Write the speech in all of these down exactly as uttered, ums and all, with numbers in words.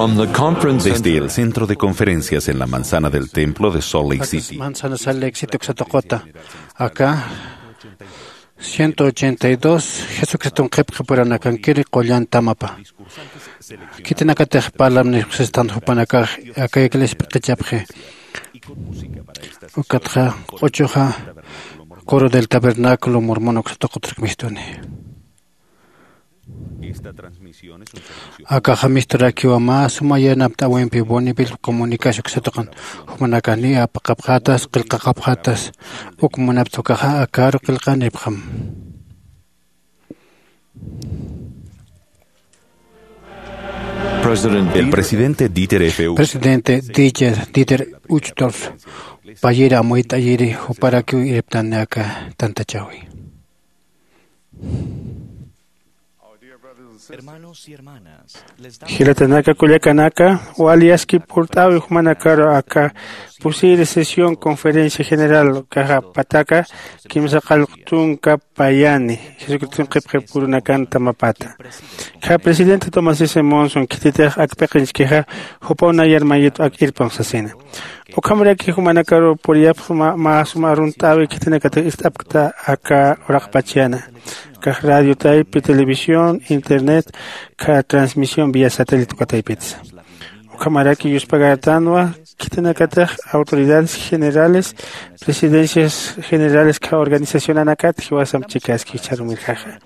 From the conference Desde center. El centro de conferencias en la manzana del templo de Salt Lake City. Manzana Salt Lake City uksatuquta. Aka ciento ochenta y dos Jesucristun qhipqipuranakan kiri qullan tamapa. Khitinakatix parlamnipxsistan jupanakax aka iglesia p'iqichapxi. Ukatxa q'uchuxa Coro del Tabernáculo Mormon uksatuqutrak mistuni. Akaxa misturakiwa mä suma yanapt'äwimpi Bonneville Comunicación uksatuqan jumanakani apaqapxatas qillqaqapxatas uk munapt'ukaxa akaru qillqanipxam. President El presidente Dieter F. Presidente Dieter, Dieter Uchtdorf payir amuyt'ayiri juparakiw irptani aka tantachäwi. Hermanos y hermanas, les damos Jilatanaka kullakanaka, wali aski purt'äwi jumanakaru aka pusiri sesión conferencia general kaxa pataka kimsa qallq tunka payani Jesucriston qhipqipuranakan tamapata. Kha presidente Thomas S. Monson khititix ak p'iqinchkixa jupaw nayar mayitw ak irpun sasina. Ukhamaraki jumanakaru puriyapx mä suma arunt'äwi khitinakatix ist'apkta aka uraqpach yana. Kax radio taypi, televisión, internet, kha transmisión vía satélite ukataypitsa. Ukhamaraki yuspagartanwa khitinakatix autoridades generales, presidencias generales kha organizacionanakat jiwasamp chikaski charumirjaxa.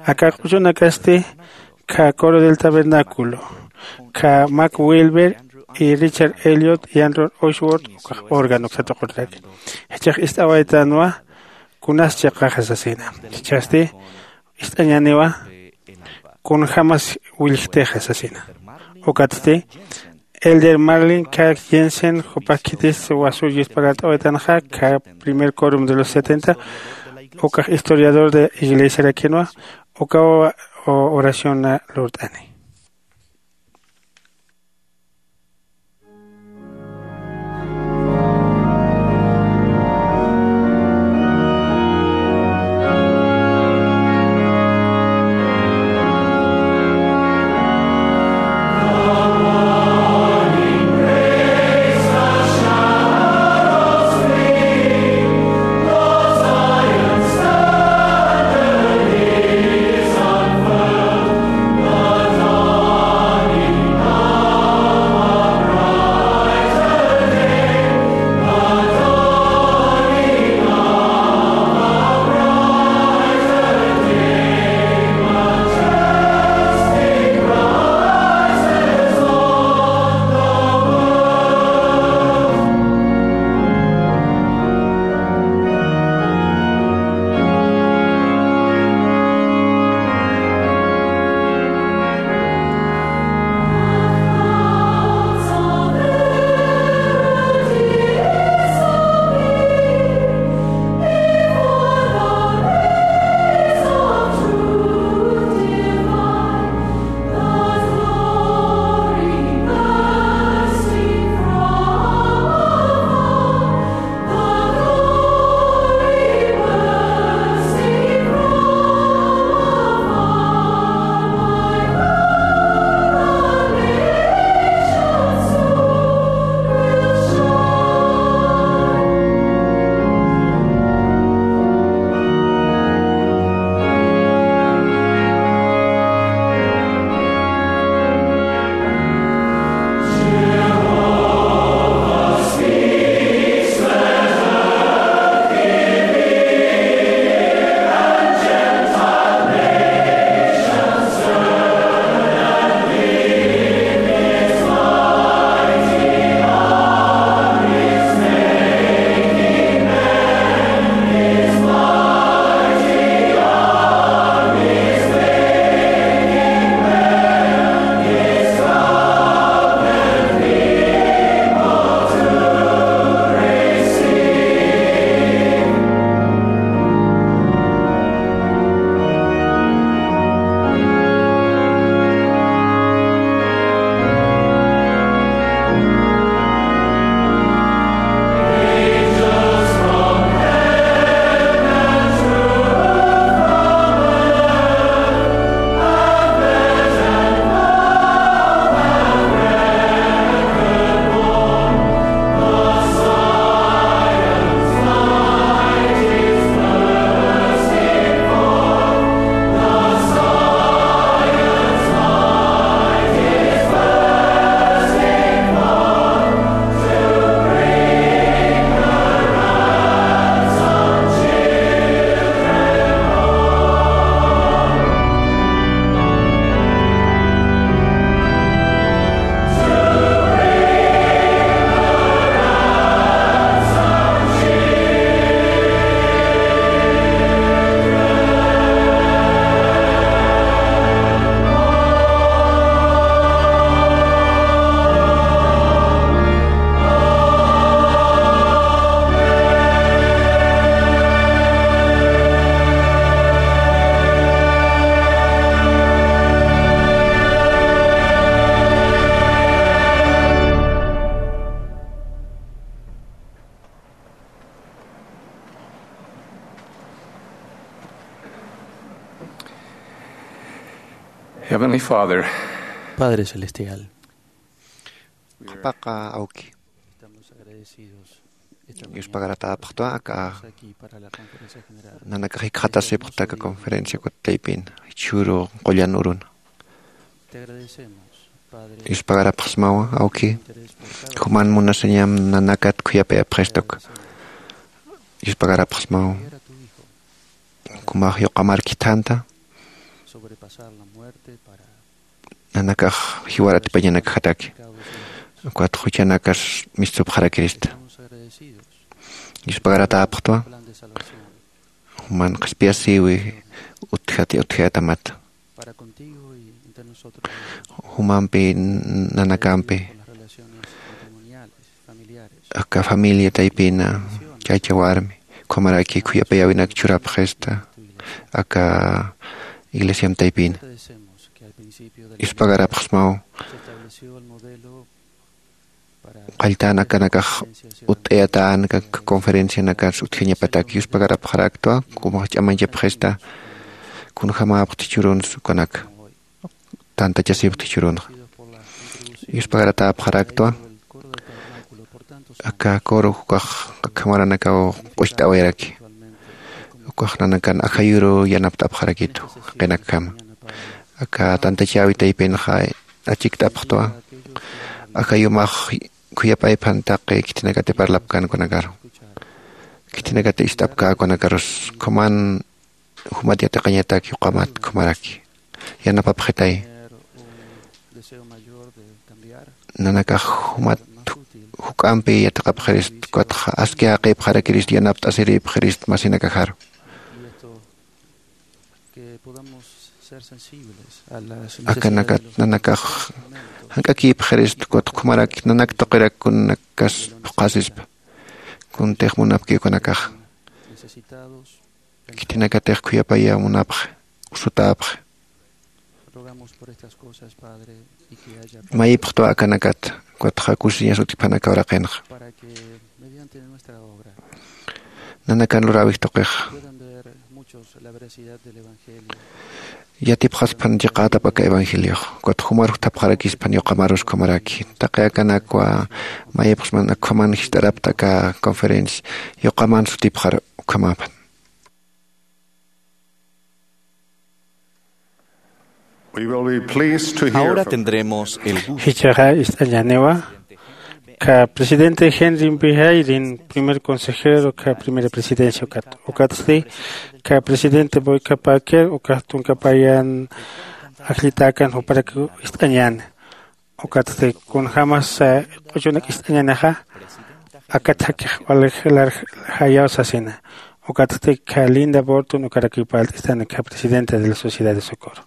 Aka q'uchunakasti kha Coro del Tabernáculo, kha Mac Wilber y Richard Elliot y Andrew Oswald ukax órgano uksatuqurtaki. Jichhax ist'awaytanwa kunas chiqaxa sasina. Jichhasti ist'añaniwa kunjamas willjtixa sasina. Ukatsti Elder Marlin K. Jensen jupax khitis wasur yuspagart'awaytanxa kha primer quórum de los setenta, ukax historiador de iglesiarakinwa, ukaw oración lurt'ani. Heavenly Father, Padre Celestial, qhapaqa awki, estamos agradecidos esta mañana. Yuspagaratäpxtwa aka nanakax jikxatasipxta aka conferencia kutaypin chhuru qullan urun. Te agradecemos, Padre, yuspagarapxsmawa awki, juman munasañam nanakat khuyapayapxistuka. Yuspagarapxsmawa kumax yuqamar khithanta, nanakax jiwar atipañanakjataki, ukat juchanakas mistsupxarakirista. Yuspagaratäpxtwa juman qhispiyasïwi utjati utjatamata. Jumampi, nanakampi, aka familia taypina, chaycha warmi, ukhamaraki khuyapayäwinak churapxista aka iglesiam taypina. Yuspagarapxsmaw qalltän akanakax utt'ayatän aka conferencianakas utjañapatak. Yuspagarapxaraktwa kumax ch'amañchapxista kunjämäpxti churunsa ukanaka, tantachasipxti churunxa. Yuspagarapxaraktwa aka coro ukax akjamaranakaw q'ucht'awayaraki, ukax nanakan ajayuru yanapt'apxarakitu jaqinakjama. Aka tantachäwi taypinxa achikt'apxtwa aka yumax khuyapayphan taqi khithinakati parlapkänkunakaru, khithinakati ist'apkäkunakarus. Ukhaman jumat yatiqañatak yuqamat ukhamaraki yanapapxitay. Nanakax jumat juk'ampi yatiqapxirist, ukatxa aski jaqipxarakirist, yanapt'asiripxirist masinakajaru. Akanakat nanakax jank'akïpxirist, ukat ukhamarak nanak tuqirak kunakas phuqhasispa, kuntix munapkiw ukanakax. Khithinakatix khuyapayä munapxi, usutäpxi. Mayipxtwa akanakat, ukatxa kusiñas utjphanaka uraqinxa. Nanakan luräwix tuqix yatipxasphan chiqätap aka evangeliox, ukat jumar jutapxarakispan yuqamarus ukhamaraki. Taqi akanakwa mayipxsman ukhaman jist'arapta aka conferencia, yuqaman sutipxar ukhamäpan. We will be pleased to hear Ahora from tendremos el gusto. Jichhaxa ist'añäniwa ka presidente Henry Mpijaylin, primer consejero ka primera presidencia ukat. Ukatsti ka presidente Boyka Packer, ukat tunka payan ajllitäkan juparak ist'añäni. Ukatsti kunjämas, eh, q'uchunak ist'añänixa, akat jakix wali jilar jayaw sasina. Ukatsti ka Linda Burton, ukarakiw parlt'istani ka presidenta de la Sociedad de Socorro.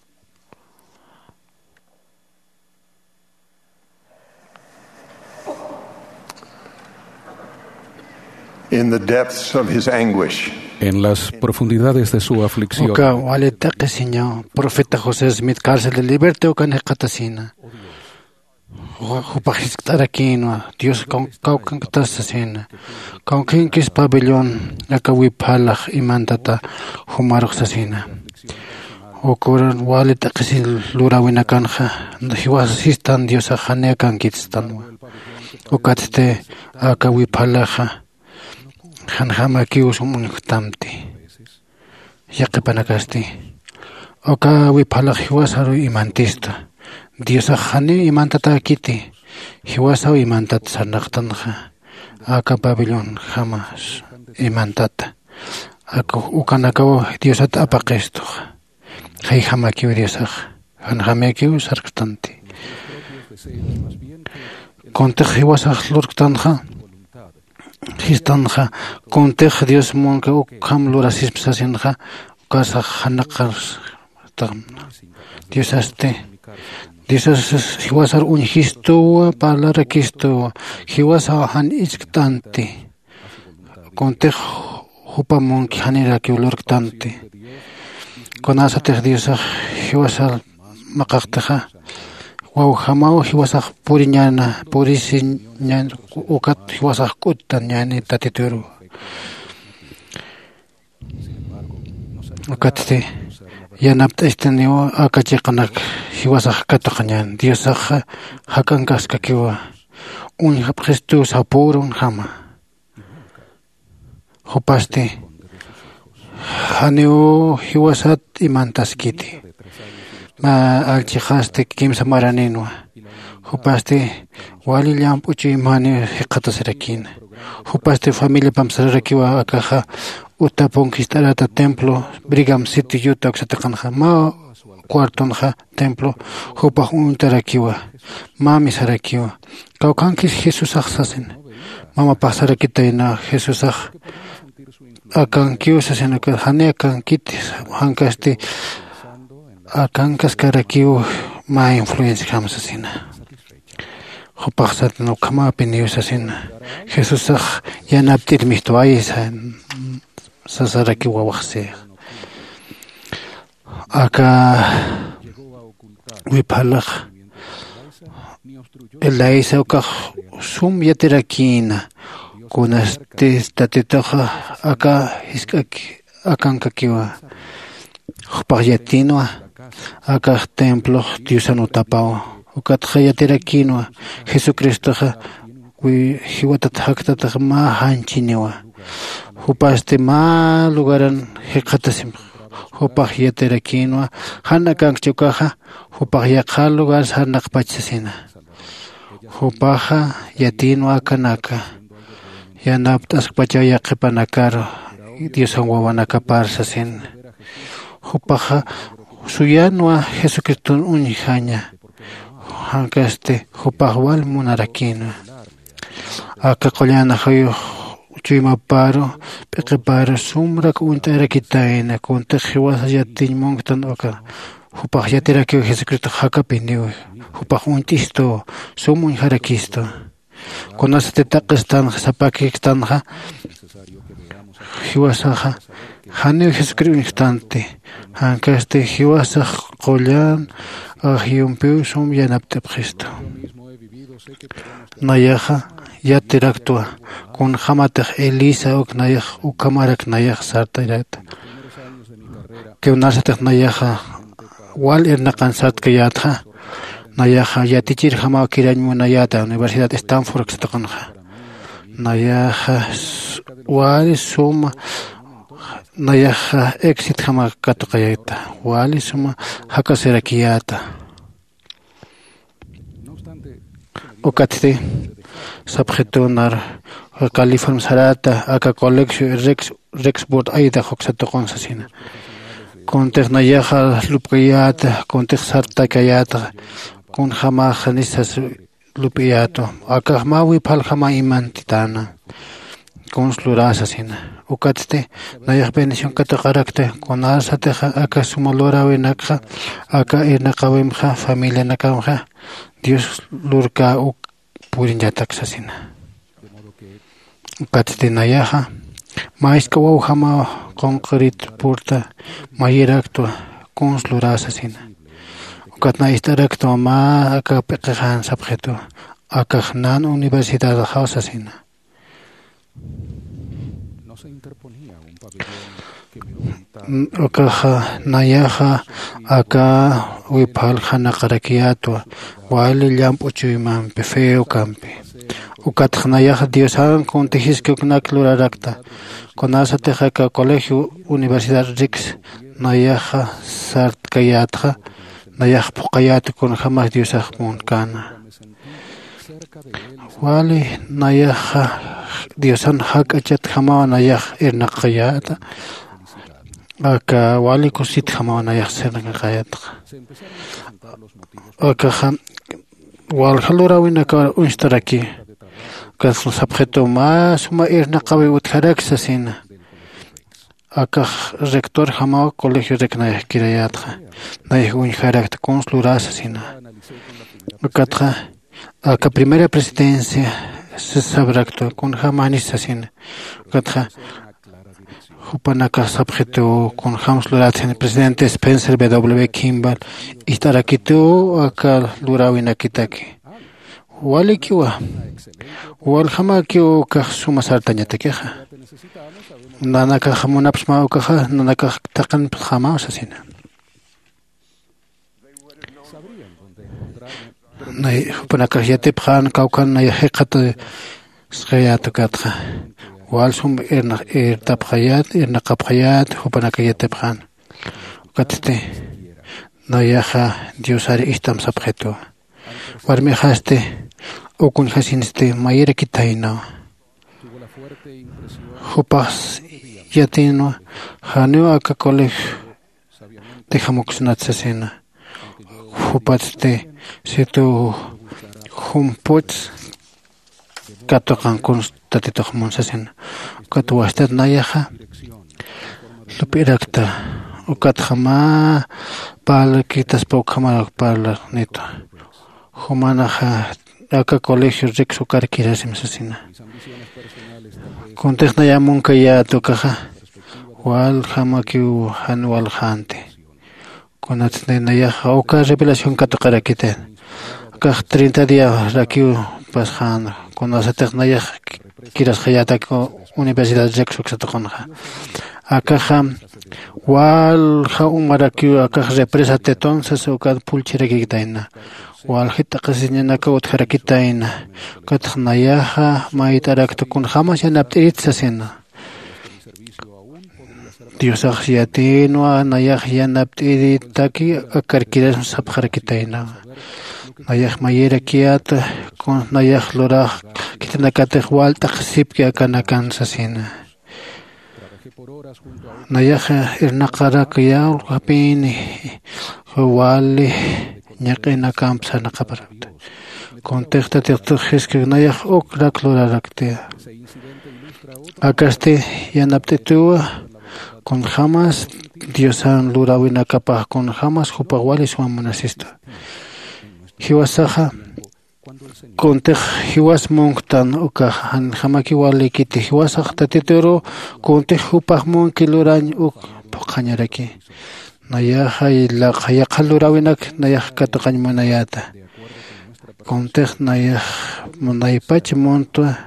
In the depths of his anguish, En las profundidades de su aflicción, uka wali t'aqhisiñaw profeta José Smith cárcel de libertad ukan jikxatasina. Ju-, jupax jiskt'arakïnwa, Dios kaw-, kawkhanktas sasina. Kawkhankis pabellón, aka wiphalax imantata jumarux sasina. Uka uran wali t'aqhisi luräwinakanxa, jiwas sistan Diosax janiw akankitstanwa. Ukatsti aka wiphalaxa, janjamakiw sum uñjtamti. Yaqhipanakasti. Uka wiphalax jiwasaru imantista. Diosax janiw imantatäkiti. Jiwasaw imantat sarnaqtanxa. Aka pabellonjama imantata. Aka ukanakaw Diosat apaqistux. Jayjamakiw Diosax. Janjamakiw sarktanti. Kuntix jiwasax lurktanxa. Jistanxa, kuntix Dios munka ukham lurasispa sasinxa, ukasax janaqarstxamna. Diosasti, Diosas jiwasar uñjistuwa, parlarakistuwa, jiwasaw jan iskt'anti. Kuntix jupa munki janirakiw lurktanti. Kunasatix Diosax jiwasar maqaqtixa, wawjamaw jiwasax puriñäna, purisiñäna, ukat jiwasax k'uttañäni Tatituru. Ukatsti, Yanapt'istaniw aka chiqanak jiwasax katuqañan diosaxa jak'ankaskakiwa. Uñjapxistu sapürunjama. Jupasti janiw jiwasat imantaskiti. Mä allchixasti kimsa maraninwa. Jupasti wali llamp'u chuymaniw jikxatasirakïna. Jupasti familiapamp sararakiwa akaxa. Utapunk jist'arata templo brigam sitio yuta uksatiqanxa mä cuartonxa templo jupax uñtarakiwa. Mami sarakiwa. Kawkhankis jesusax sasin. Mamapax sarakitayna jesusax akankiw sasina ukat jani akankiti. Jankasti akankaskarakiw mä influenciajam sasina. Jupax satin ukhamapiniw sasina. Jesusax yanapt'ir mistwayisa sasarakiw wawaxsix. Aka wiphalax elaisa ukax sum yatirakïna. Kunastis tatituxa aka jisk'ak akankakiwa. Jupax yatinwa akax templox diosan utapaw. Ukatxa yatirakïnwa jesucristoxa jiwatat jaktatax mä janchiniwa. Jupasti mä lugaran jikxatasimx. Jupax yatirakïnwa jan akankchi ukaxa. Jupax yaqha lugar sarnaqpach sasina. Jupaxa yatïnwa akanaka yanapt'askpachaw yaqhipanakaru diosan wawanakapar sasin. Jupaxa suyänwa jesucriston uñjaña. Jankasti jupax wal munarakïnwa. Aka qullan ajayux chuymaparu p'iqiparu sumrak uñt'arakitayna kuntix jiwasa yatiñ munktan uka. Jupax yatirakiw jesucristox jakapiniw. Jupax uñt'istu sum uñjarakistu. Kunasati taqistanxa sapakikstanxa jiwasaxa janiw jesucristo uñjktanti. Jankasti jiwasax qullan ajayumpiw sum yanapt'ipxistu. Nayaxa yatiraktwa kunjämatix elisa uk nayax ukhamarak nayax sartayräta. Kunasatix nayaxa wal irnaqan sartkayätxa. Nayaxa yatichirjamaw kirañ munayäta universidad stanford uksatuqanxa. Nayaxa wali suma nayaxa exitjama katuqayäta. Wali suma jakasirakiyäta. Ukatsti sapxitunar california sarata aka colegio rex rexburd aydax uksatuqun sasina. Kuntix nayaxa lup'kayäta kuntix sartakayäta. Kunjämaxa nisas lup'iyätu akax mä wiphaljama imantitäna. Kuns luräsasina. Ukatsti nayax bendición katuqarakta kunasatixa aka suma luräwinakxa aka irnaqäwimxa familianakamxa dios lurkä uk puriñatak sasina. Ukatsti nayaxa mä jisk'a wawjamaw qunqürit purta mayiraktwa kuns luräsasina. Ukat nay ist'araktwa mä aka p'iqixan sapxitu akax nan universidadaxaw sasina. Ukaxa nayaxa aka wiphal janaqarakiyätwa wali llamp'u chuymampi feo kampi. Ukatxa nayaxa diosan kuntijiski uknak lurarakta. Kunasatix aka colegio universidad rix nayaxa sartkayätxa nayax phuqhayäta kunjämas diosax munkkäna. Wali nayaxa diosan jak'achatjamaw nayax irnaqayäta. Aka wali kusitjamaw nayax sirnaqayätxa. Akaxa walja luräwinakar uñstaraki. Ukat sapxitu mä suma irnaqawi utjaraki sasina. Akax rectorjamaw colegio rek nayax kirayätxa. Nayax uñjarakta kuns luräsasina. Ukatxa aka primera presidencia sasabraktu kunjämanis sasina. Ukatxa jupanakax sapxituw kunjämsa lurätsina presidente spencer w kimball ist'arakituw aka luräwinakitaki. Walikiwa waljamakiw ukax suma sartañatakixa. Nanakax munapsmaw ukaxa nanakax thaqinpxamaw sasina. Nay jupanakax yatipxän kawkhan nayax jikxatasxayät ukatxa. Wal sum irnaqapxayät irnaqapxayät jupanakax yatipxän. Ukatsti nayaxa diosar ijtam sapxituwa. Warmixasti uk uñjasinsti mayirakitaynawa. Jupax yatinwa janiw aka colegio dejamuksnat sasina. Jupatsti situ jumputs katuqan kunstatitux munsasina. Ukat wastat nayaxa lup'irakta. Ukatxa mä parlakitaspa ukhamarak parlarnitu. Jumanaxa aka colegio riksukarkirasim sasina. Kuntix nayamunkayät ukaxa waljamakiw jan waljänti. Kunatsti nayaxa uka revelación katuqarakitayna. Akax treinta diarakiw pasxäna kunasatix nayax kirasxayätak universidad riksuksatuqunxa. Akaxa walja umarakiw akax represa tetonsas ukat pulchirakikitayna. Walji t'aqhisiñanakaw utjarakitayna. Ukatx nayaxa mayt'arakta kunjämas yanapt'irit sasina. Diosax yatïnwa nayax yanapt'iritaki akarkirasm sapxarakitaynawa. Nayax mayirakiyäta kun nayax lurax khitinakatix wal t'aqhisipki akanakan sasina. Nayaxa irnaqarakyaw japïni wali ñaq'inakamp sarnaqaparakta. Kuntix tatitux jiskak nayax ukrak luraraktiya. Akasti yanapt'ituwa kunjämas diosan luräwinakapax kunjämas jupax wali suma munasista. Jiwasaxa kuntix jiwas munktan ukax janjamakiw walïkiti jiwasax tatituru kuntix jupax munki lurañ uk phuqhañaraki. Nayaxa yaqha luräwinak nayax katuqañ munayäta. Kuntix nayax munaypach muntwa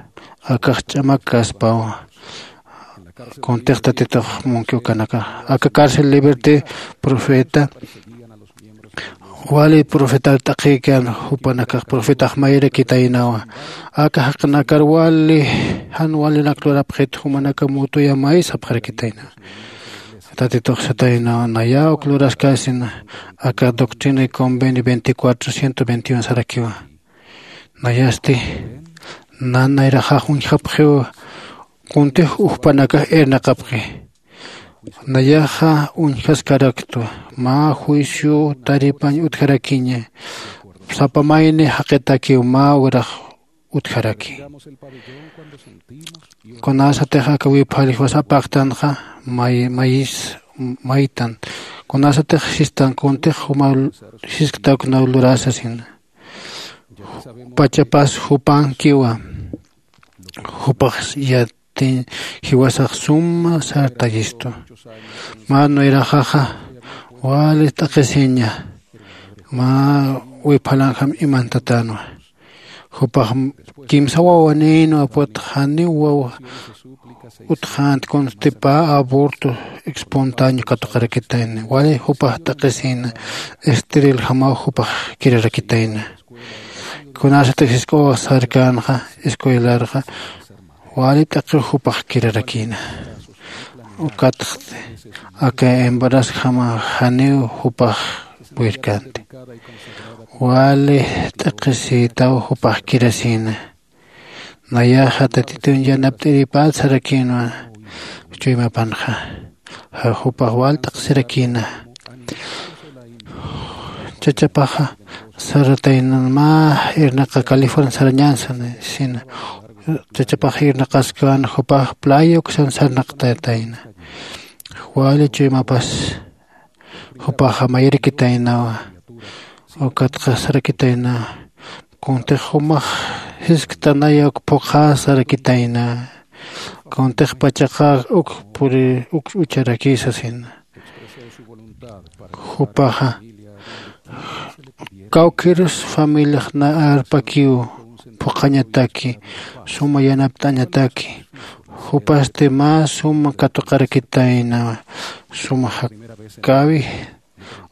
akax ch'amak kaspawa. Kuntix tatitux munki ukanaka aka cárcel liberté profeta wali profetar t'aqhïkan. Jupanakax profetax mayrakitaynawa. Aka jaqinakar wali jan walinak lurapxit jumanaka mutuya may sapxarakitaynawa. Tatitux sataynawa nayä uk luraskäsina. Aka doctrina y convenio veinticuatro ciento veintiuno sarakiwa. Nayasti nanayraxax uñjapxiwa. Kuntix ujpanakax irnaqapxi. Nayaxa uñjaskaraktwa mä juicio taripañ utjarakiña. Sapa mayni jaqitakiw mä urax utjaraki. Kunasatix aka wiphalixwas apaqtanxa mayis maytan. Kunasatix sistan kuntix juma sisktaknaw lurasasina. Pachapas jupankiwa. Jupax yatiñ jiwasax suma sartayistu. Mä nuyraxaxa wali t'aqhisiña. Mä wiphalanjam imantatanwa. Jupax kimsa wawanïnwa put janiw wawa utjänt kunstipä aborto espontáneo katuqarakitayna wali jupax t'aqhisïna. Esteriljamaw jupax kirarakitayna. Kunasatix jisk'uwax sarkänxa escuelarxa wali t'aqhiw jupax kirarakïna. Ukatxt aka embarazojama janiw jupax purirkänti. Wali t'aqhisïtaw jupax kirasïna. Nayaxa tatitun yanapt'iripät sarakïnwa. Chuymapanxa jupax wal t'aqhisirakïna. Chachapaxa sarataynan mä irnaqa california sarañänsan sina. Chachapaxa irnaqaskän jupax playa uksan sarnaqtatayna. Wali chuymapas jupaxa mayirakitaynawa. Ukatxa sarakitaynawa. Kuntix jumax jisktanaya uk phuqhä sarakitayna. Kuntix pachaqa uk puri uk ucharaki sasina. Jupaxa kawkirus familiax na arpakiw phuqhañataki suma yanapt'añataki. Jupasti mä suma katuqarakitayna suma jakäwi.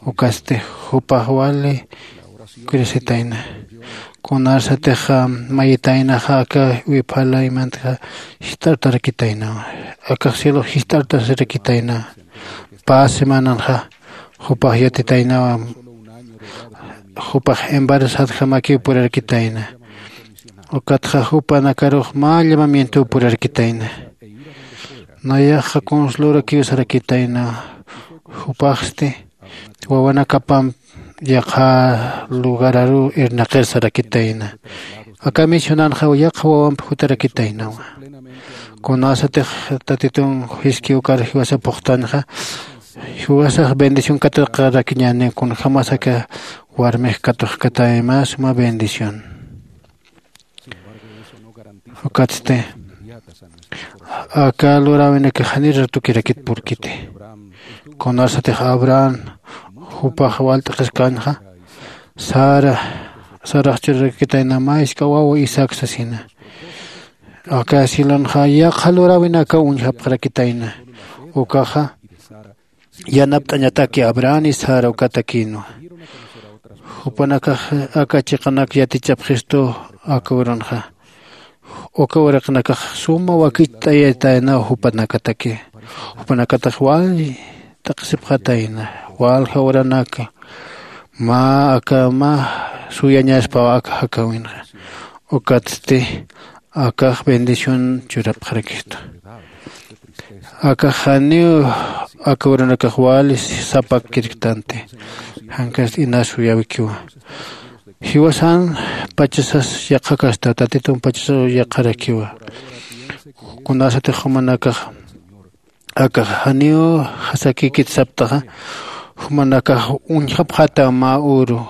Ukasti jupax wali Kurisitayna. Kunarsatix mayitaynaxa aka wiphala imantxa jist'artarakitaynawa. Akax cielo jist'artasarakitaynawa. Pä semananxa jupax yatitaynawa. Jupax embarazadjamakiw purarakitayna. Ukatxa jupanakarux mä llamamientow purarakitayna. Nayaxa kunslurakiw sarakitayna. Jupaxsti wawanakapamp yaqha lugararu irnaqir sarakitayna. Aka misionanxa yaqha wawamp jutarakitaynawa. Kunasatix tatitun jiski ukar jiwasa phuqtanxa jiwasax bendición kataqarakiñäni. Kunjämas aka warmix katuxkatay mä suma bendición. Ukatsti aka luräwinakax janir ratukirakit purkiti. Kunarsatix abraham jupax walt'qiskänxa sara sarax churarakitayna mä jisk'a wawa isaac sasina. Aka cielonxa yaqha luräwinakaw uñjapxarakitayna. Ukaxa yanapt'añataki abraham y sara ukatakïnwa. Jupanakax aka chiqanak yatichapxistu aka urunxa. Uka uraqinakax suma wakicht'ayataynaw jupanakataki. Jupanakatax wal t'aqsipxatayna walja uranaka mä aka mä suyañaspaw aka jakäwinxa. Ukatsti akax bendición churapxarakistu. Akax janiw aka uranakax wali sapakirktanti. Jankasti inas uyäwikiwa. Jiwasan pachasas yaqhakasta tatitun pachasas yaqharakiwa. Kunasatix jumanakax akax janiw jasakikit saptaxa jumanakax uñjapxätaw mä uru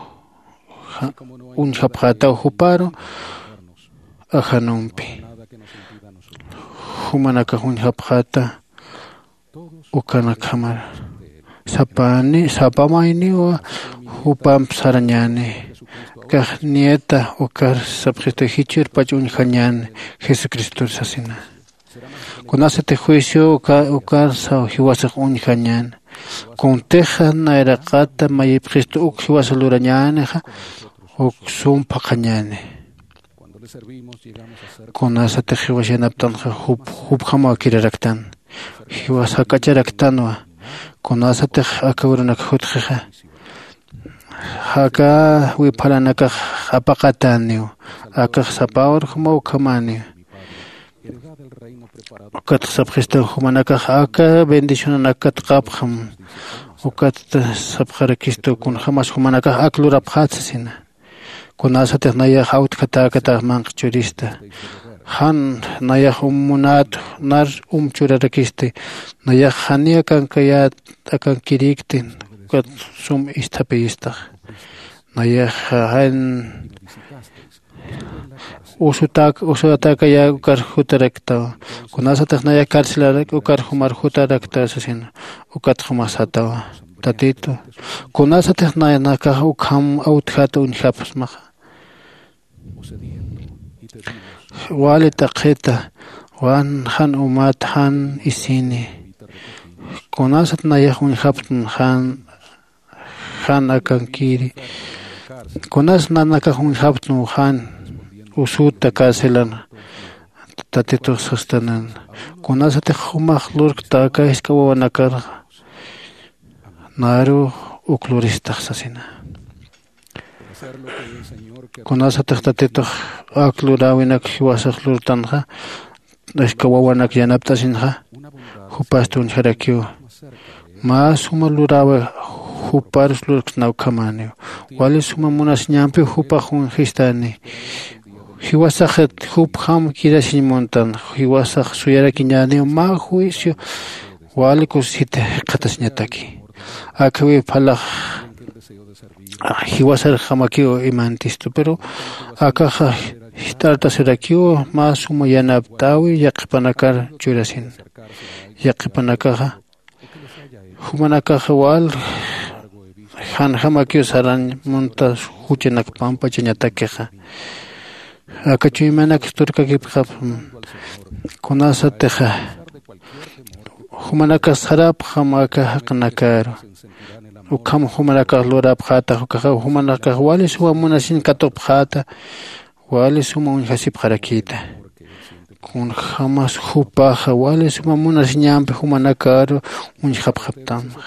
uñjapxätaw juparu ajanumpi. Jumanakax uñjapxäta ukanakjamar sapani sapamayniwa jupamp sarañäni. Kax nieta ukar sapxistu jichhürpach uñjañäni jesucristor sasina. Kunasatix juicio uka ukarsaw jiwasax uñjañäni. Kuntixa nayraqata mayipxistu uk jiwasa lurañänixa uk sum phaqhañäni. Kunasatix jiwas yanaptanxa jup jupjamaw kiraraktan. Jiwas jak'acharaktanwa. Kunasatix aka urunak jutxixa aka wiphalanakax apaqatäniw. Akax sapa urjumaw ukhamäniw. Ukatxa sapxistu jumanakax aka bendicionanak katqapxam. Ukat sapxarakistu kunjämas jumanakax ak lurapxät sasina. Kunasatix nayax awtjatäkatax manqha churista jan nayax um munät nar um churarakisti. Nayax janiy akankayät akankirïktin ukat sum isthapïyistax. Nayax jan usutak usutakaya ukar jutaraktaw. Kunasatix nayax carcelarak ukar jumar jutaraktaw sasina. Ukat jumax satawa tatitu kunasatix nayanakax ukham awtjata uñjapxsmaxa. Wali t'aqhita wan jan umat jan isini. Kunasat nayax uñjapxsma jan jan akankiri. Kunas nanakax uñjapxsma jan usuta carcelan tatitux sastanan. Kunasatix jumax lurkta aka jisk'a wawanakarxa naru uk luristax sasina. Kunasatix tatitux ak luräwinak jiwasax lurtanxa jisk'a wawanak yanapt'asinxa jupasti uñjarakiwa. Mä suma luräwi juparus lurksna ukhamäniw. Wali suma munasiñampiw jupax uñjistani. Jiwasaxit jupjam kirasiñ muntan. Jiwasax suyarakiñäniw mä juicio wali kusisita jikxatasiñataki. Akhawiw phalax jiwasarjamakiw imantistu pero akaxa jist'artasirakiw mä suma yanapt'äwi yaqhipanakar churasin. Yaqhipanakaxa jumanakaxa wal janjamakiw sarañ munta juchanak pampachañatakixa. Aka chuymanak turkakipxapxam. Kunasatixa Jumanakax sarapxam aka jaqinakaru. Ukham jumanakax lurapxätax ukaxa jumanakax wali suma munasiñ katupxäta. Wali suma uñjasipxarakïta. Kunjämas jupaxa wali suma munasiñampi jumanakaru uñjapxaptamxa.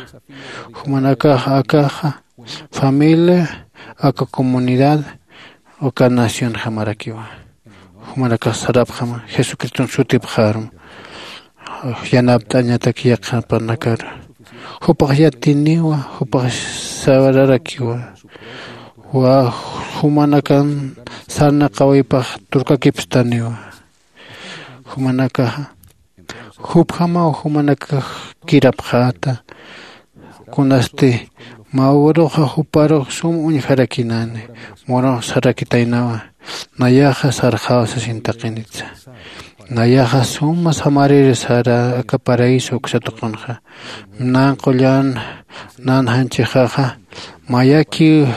Jumanakax akaxa familia, aka comunidad, aka nacionjamarakiwa. Jumanakax sarapxama jesucriston sutipxarum. Yanapt'añatak yaqhapanakar jupax yatiniwa. Jupax sararakiwa. Wa jumanakan sarna qawaypax turkakipstaniwa. Jumanakaxa jupjamaw jumanakax kirapxäta. Kunasti mawruxa juparux sum uñjarakinani. Murux sarakitaynawa. Nayaxa sarxaw sasin taqinitsa. Nayaxa suma samariri sara aka paraíso uksa tuqunxa. Nan qullan nan janchixaxa mayaki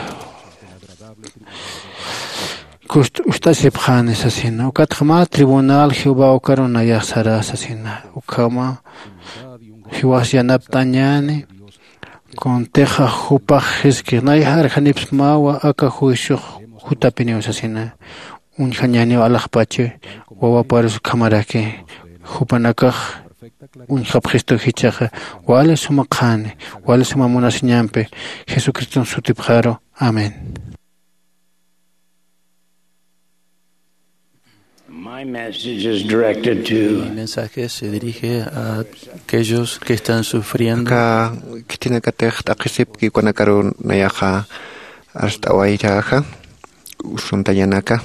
ust'asipxani sasina. Ukatxa mä tribunal jehová ukaru nayax sara sasina. Ukhama jiwas yanapt'añäni. Kuntixa jupax jiskix nayax arjanipsmawa aka juiciox jutapiniw sasina. Uñjañäniw alaxpachi wawaparus ukhamaraki. Jupanakax uñjapxistu jichhaxa wali suma qhani wali suma munasiñampi jesucriston sutipxaru. Amén. My message is directed to Mi mensaje se dirige a aquellos que están sufriendo. Aka khitinakatix t'aqhisipki ukanakaru nayaxa arst'awaythaxa usuntañanaka.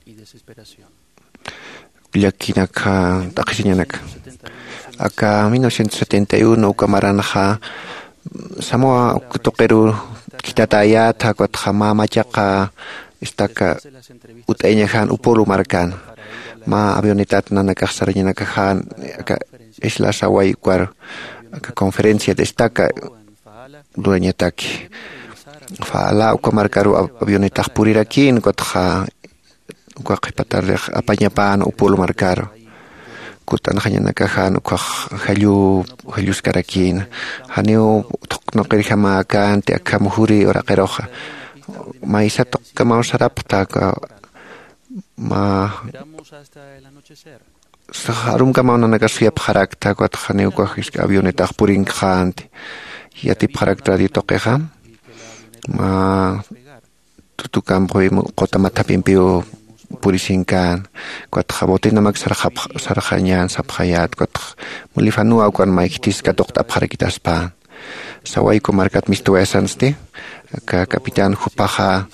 Y desesperación. Llakinaka t'aqhisiñanaka. Aka mil novecientos setenta y uno uka maranxa samoa uk tuqiru khitatayätha ukatxa mä machaqa estaca ut'ayañaxan upulu markan. Mä avionetat nanakax sarañanakaxan aka isla saway ukar aka conferencia de estaca lurañataki. Fala uka markaru avionetax purirakïn ukatxa uka qhipatarix apañapan upul markaru. Kut'anxañanakaxan ukax jallu jalluskarakïna. Janiw thuqnaqirjamäkänti akham juri uraqiruxa. Maysa tuqkamaw sarapxta aka mä sax arumkamaw nanakax suyapxarakta ukatxa janiw ukax jisk'a avionetax purinkxänti. Yatipxarakta radio tuqixa mä tutukampi quta mathapimpiw purisinkän. Ukatxa botinamak sarxañän sapxayät ukatxa mulifanuwa ukan may khitis katuqt'apxarakitaspan. Sawayku markat mistuwayasansti aka capitán jupaxa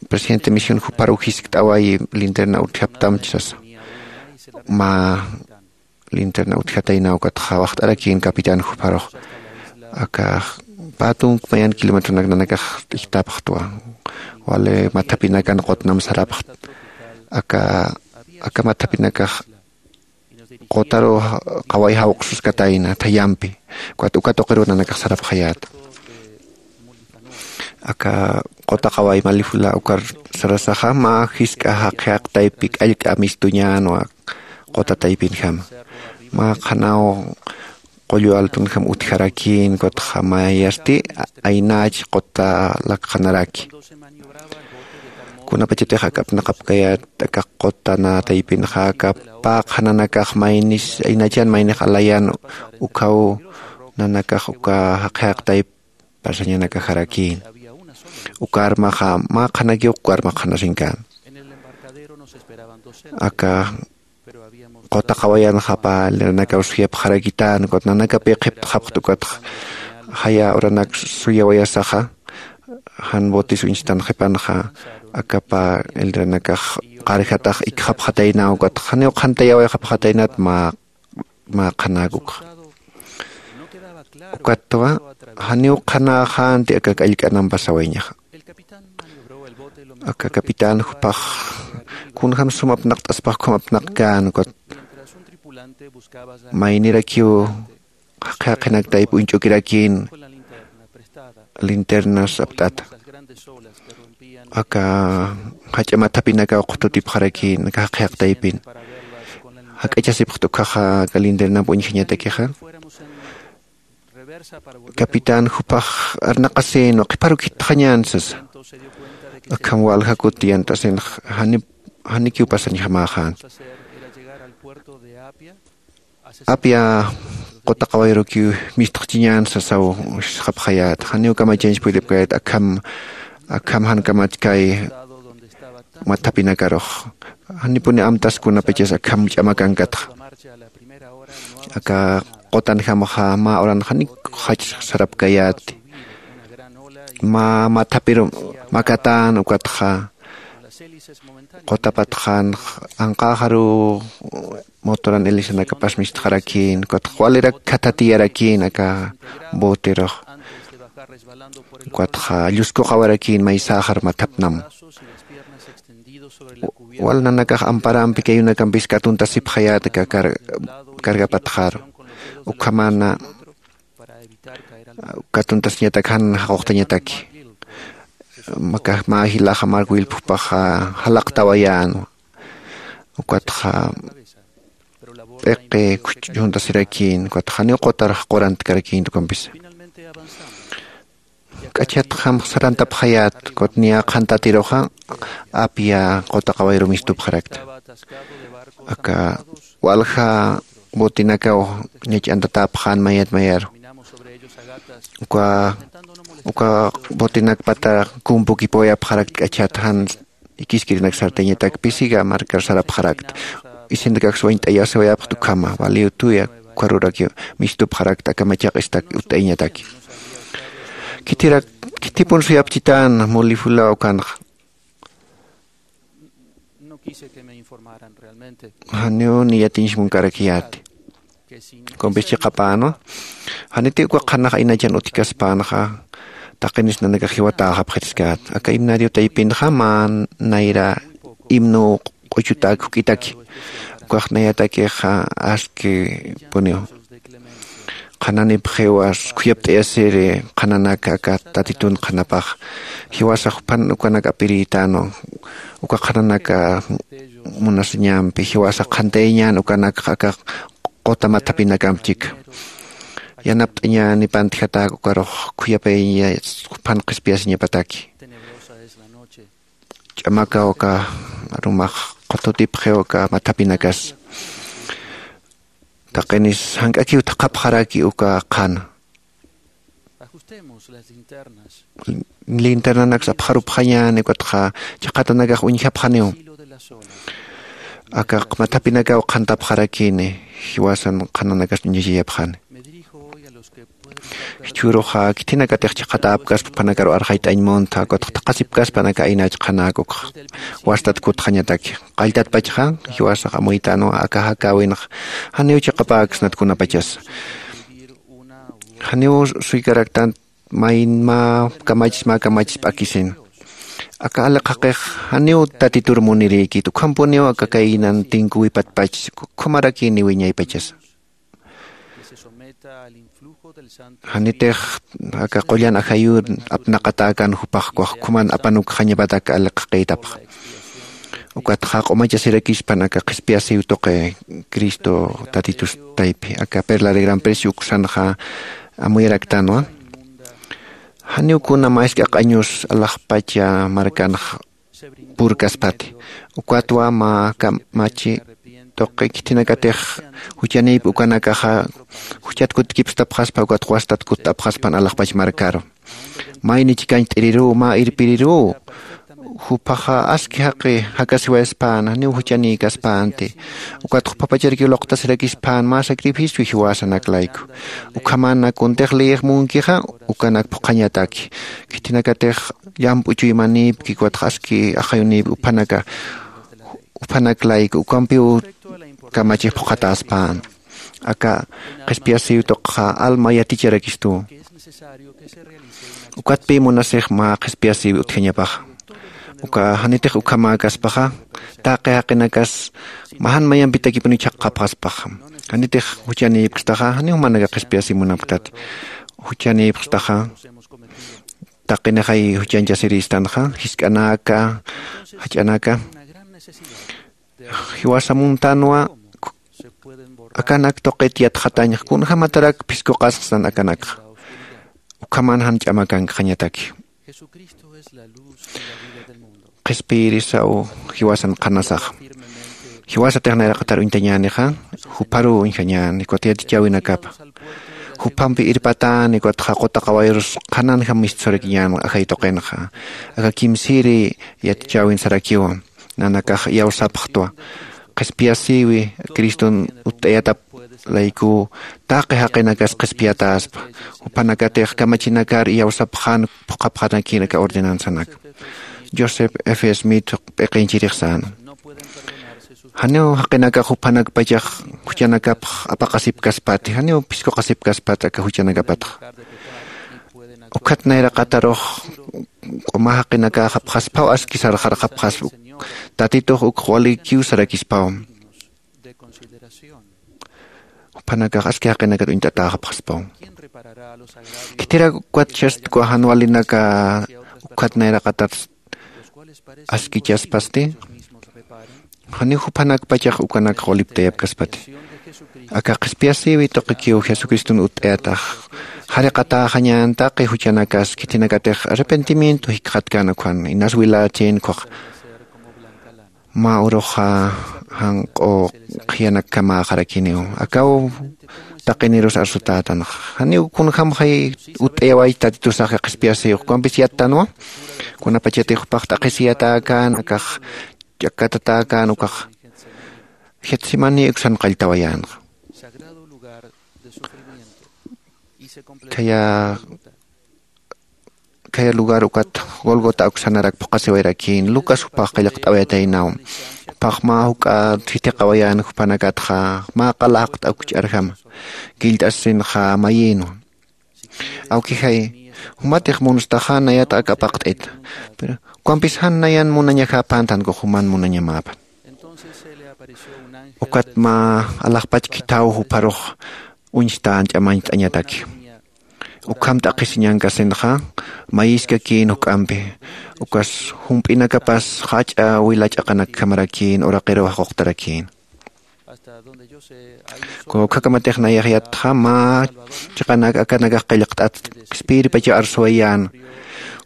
presidente misión juparuw jiskt'awayi linterna utjaptamchi sasa. Mä linterna utjatayna ukatxa waxt'arakïn capitán juparux aka pä tunk mayan kilometronak nanakax t'ijtapxtwa. Wali mathapinakan qutnam sarapxt aka aka mathapinakax qutaru qaway jawq'suskatayna thayampi. Ukat uka tuqiru nanakax sarapxayäta aka quta qaway malifula ukar sarasaxa mä jisk'a jaqi jaqtaypi k'allk'a mistuñänwa quta taypinjama. Mä qhanaw qullu altunjam utjarakïn ukatxa mayasti aynach quta lakxanaraki. Kunapachatix aka apnaqapkayät aka quta nä taypinxa aka pä qhananakax maynis aynachan maynix alayan ukhaw nanakax uka jaqi jaqtayp parsañanakaxarakïn. Uka armaxa mä qhanakiw uka arma qhanasinkän. Aka quta qawayanxa pä elderanakaw suyapxarakitän ukat nanakapi qhiptxapxt ukatxa jaya uranak suyawayasaxa jan botis uñstan qhipanxa aka pä elderanakax qarjatax ikxapxatayna ukatxa janiw qhantayawayxapxataynat mä mä qhanak ukxa. Ukatwa janiw qhanäxänti aka k'allk'anampa sawayañaxa. Aka capitán jupax kunjam sum apnaqt'aspax ukham apnaqkän ukat maynirakiw jaqi jaqinaktayp uñch'ukirakïn linternas apt'ata. Aka jach'a mathapinakaw qhututipxarakïn aka jaqi jaqtaypin. jak'achasipxta ukhaxa aka lindernamp uñjañatakixa. Capitán jupax arnaqasin qhiparukitxañän sasa. Akham walja kuti yant'asinx janikiw pasañjamäxän. Apia qutaqawayrukiw mistxchiñän sasaw sisxapxayät janiw kamachañch puydipkayät akham akham jan kamachkay. Mathapinakarux janipuni amtas kunapachas akham ch'amakankatxa. Aka qutanjamaxa mä uranxanik jach sarapkayäti. Mä mathapir makatän ukatxa qutapatxan anqäxaruw motoran helicenakapas mistxarakïn ukatxa walirak khathatiyarakïn aka boterux. Ukatxa lluskuqawarakïn maysäxar mathapnam. Wal nanakax amparampi kayunakampis katuntasipxayät aka cargapatxaru ukhamana katuntasiñatak jan jaquqtañataki. Mä jilaxa mark wilphupaxa jalaqtawayän ukatxa p'iqi khuchhuntasirakïn ukatxa janiw qutar jaqurantkarakïn tukampisa. K'achatxam sarantapxayät kutniya qhantatiruxa apya qutaqawayru mistupxarakta. Aka walja botinakaw ñach'antatäpxän mayat mayaru. Uka uka botinakpata kumpukipawayapxarakta k'achat jan ikiskirinak sartañatak pisiga markar sarapxarakta. Isintakaks wañt'ayasiwayapxta ukhama valiw tuya ukharuraki mistupxarakta aka machaq istak utt'ayañataki. Khithirak khithipun suyapchitän mulifula ukanxa. Janiw niyatiñch munkarakiyäti. Kumpis chiqapänwa janiti uka qhanax aynachan utjkaspänxa. Taqinis nanakax jiwatäxapxiriskät aka himnario taypinxa mä nayra himno q'uchutäk juk'itaki. Ukax nayatakixa askipuniw qhananipxiwas khuyapt'ayasiri qhananak aka tatitun qhanapax. Jiwasax juphan ukanak apirïtänwa uka qhananak munasiñampi jiwasax qhantayañän ukanakxa aka quta mathapinakamp chika. Yanapt'añäni pantjatäk ukarux khuyapayas juphan qhispiyasiñapataki. Ch'amakaw aka arumax qututipxiw aka mathapinakas. Taqinis jank'akiw thaqhapxaraki uka qhana. Linternanaks apxarupxañäni ukatxa chiqatanakax uñjapxaniw. Aka mathapinakaw qhantapxarakini jiwasan qhananakas uñjachayapxani. Jichhüruxa khithinakatix chiqatäpkaspa juphanakaru arxayt'añ muntha ukatxa thaqhasipkaspa aka aynach qhanak ukxa wastat kutxañataki. Qalltatpachxa jiwasax amuytänwa aka jakäwinxa janiw chiqapäksnat kunapachasa. Janiw suykaraktan mayn mä kamachis mä kamachis p'akisin. Aka aliq jaqix janiw tatitur munirïkit ukhampuniw aka kaynan tinkuwipatpachis ukhumarakïni wiñaypachasa. Janitix aka qullan ajayur apnaqatäkan jupax ukax ukhuman apanukxañapatak aliq jaqïtapxa. Ukatxa q'umachasirakispan aka qhispiyasiw tuqi cristo tatitus taypi aka perla de gran precio uksanxa amuyaraktanwa. Janiw kuna mä isk'aq añus alaxpacha markanx purkaspati. Ukatwa mä kamachi tuqi khithinakatix juchanïp ukanakaxa juchat kutkipstapxaspa ukat wastat kutt'apxaspan alaxpach markaru. Mayni chikañcht'iriruw mä irpiriruw juphaxa aski jaqi jakasiwayaspän janiw juchanïkaspänti. Ukat juphapacharikiw luqtasirakispän mä sacrificio jiwasanak layku. Ukhamana kuntix liyix munkixa ukanak phuqhañataki. Khithinakatix llamp'u chuymanïpki ukatxa aski ajayunïpki uphanaka uphanak layku ukampiw kamachix phuqhatäspän. Aka qhispiyasiw tuqxa alma yaticharakistuw. Ukatpï munasix mä qhispiyasiw utjañapaxa. Uka janitix ukhamäkaspaxa taqi jaqinakas mä jan mayampitakipuniw chhaqxapxaspaxa. Janitix juchanïpkstaxa janiw jumanaka qhispiyasiw munapktati. Juchanïpkstaxa taqinixay juchañchasirïstanxa jisk'anaka jach'anaka. Jiwasa muntänwa akanak tuqit yatxatañx kunjämatarak phiskuqasxsan akanakxa. Ukhaman jan ch'amakankxañataki. Qhispiyirisaw jiwasan qhanasaxa. Jiwasatix nayraqatar uñtañänixa, jupharuw uñjañäni ukat yatichäwinakapa. Juphampi irpatäni ukatxa quta qawayurus qhananjam mistsurakïñän ajay tuqinxa. Aka kimsïri yatichäwin sarakiwa. Nanakax iyawsapxtwa. Qhispiyasïwi criston utt'ayatap laykuw taqi jaqinakas qhispiyatäspa. Juphanakatix kamachinakar iyawsapxän phuqhapxanakïn aka ordenanzanak. Joseph F Smith p'iqinchirix säna. Janiw jaqinakax juphanakpachax juchanakapx apaqasipkaspati, janiw phiskuqasipkaspati aka juchanakapatxa. Ukhat nayraqatarux q'uma jaqinakäxapxaspaw aski sarxarxapxaspa. Tatitux ukx walikiw sarakispaw. Juphanakax aski jaqinakat uñt'atäxapxaspaw. Khitirak ukat chastkwa jan walinaka ukhat nayraqatar askichaspasti. Janiw juphanakpachax ukanakx waliptayapkaspati. Aka qhispiyasïwi tuqikiw jesucriston utt'ayatax jariqatäxañän taqi juchanakas khitinakatix arrepentimiento jikxatkän ukham inas wilächin ukkhax. Mä uruxa janq'u qhiyanakkamäxarakiniw akaw taqinirus arsutätanxa. Janiw kunjämxay utt'ayaway tatitusaxa qhispiyasïw ukampis yattanwa. Kunapachatix jupax t'aqhisiyatäkän akax ch'akkatatäkän ukax. Getsemaní uksan qalltawayänxa. Khaya khaya lugar ukat golgota uksanarak phuqhasiwayrakïn lucas jupax qillqt'awayataynaw. Jupax mä juk'a thithiqawayän juphanakatxa mä qala jaqt'akch'arjama. Killt'asinxa mayïnwa. Awkijay, jumatix munstaxa nayat ak apaqt'ita. Pero ukampis jan nayan munañakäpäntan ukax juman munañamäpan. Ukat mä alaxpach khithaw jupharux uñstän ch'amañcht'añataki. Ukham t'aqhisiñankasinxa mayiskakïn juk'ampi. Ukas jump'inakapas jach'a wila ch'aqanakkamarakïn uraqiruw jaquqtarakïn. Ukhakamatix nayax yattxa mä chiqanak akanakax qillqt'at qhispiyiripachaw arsuwayän.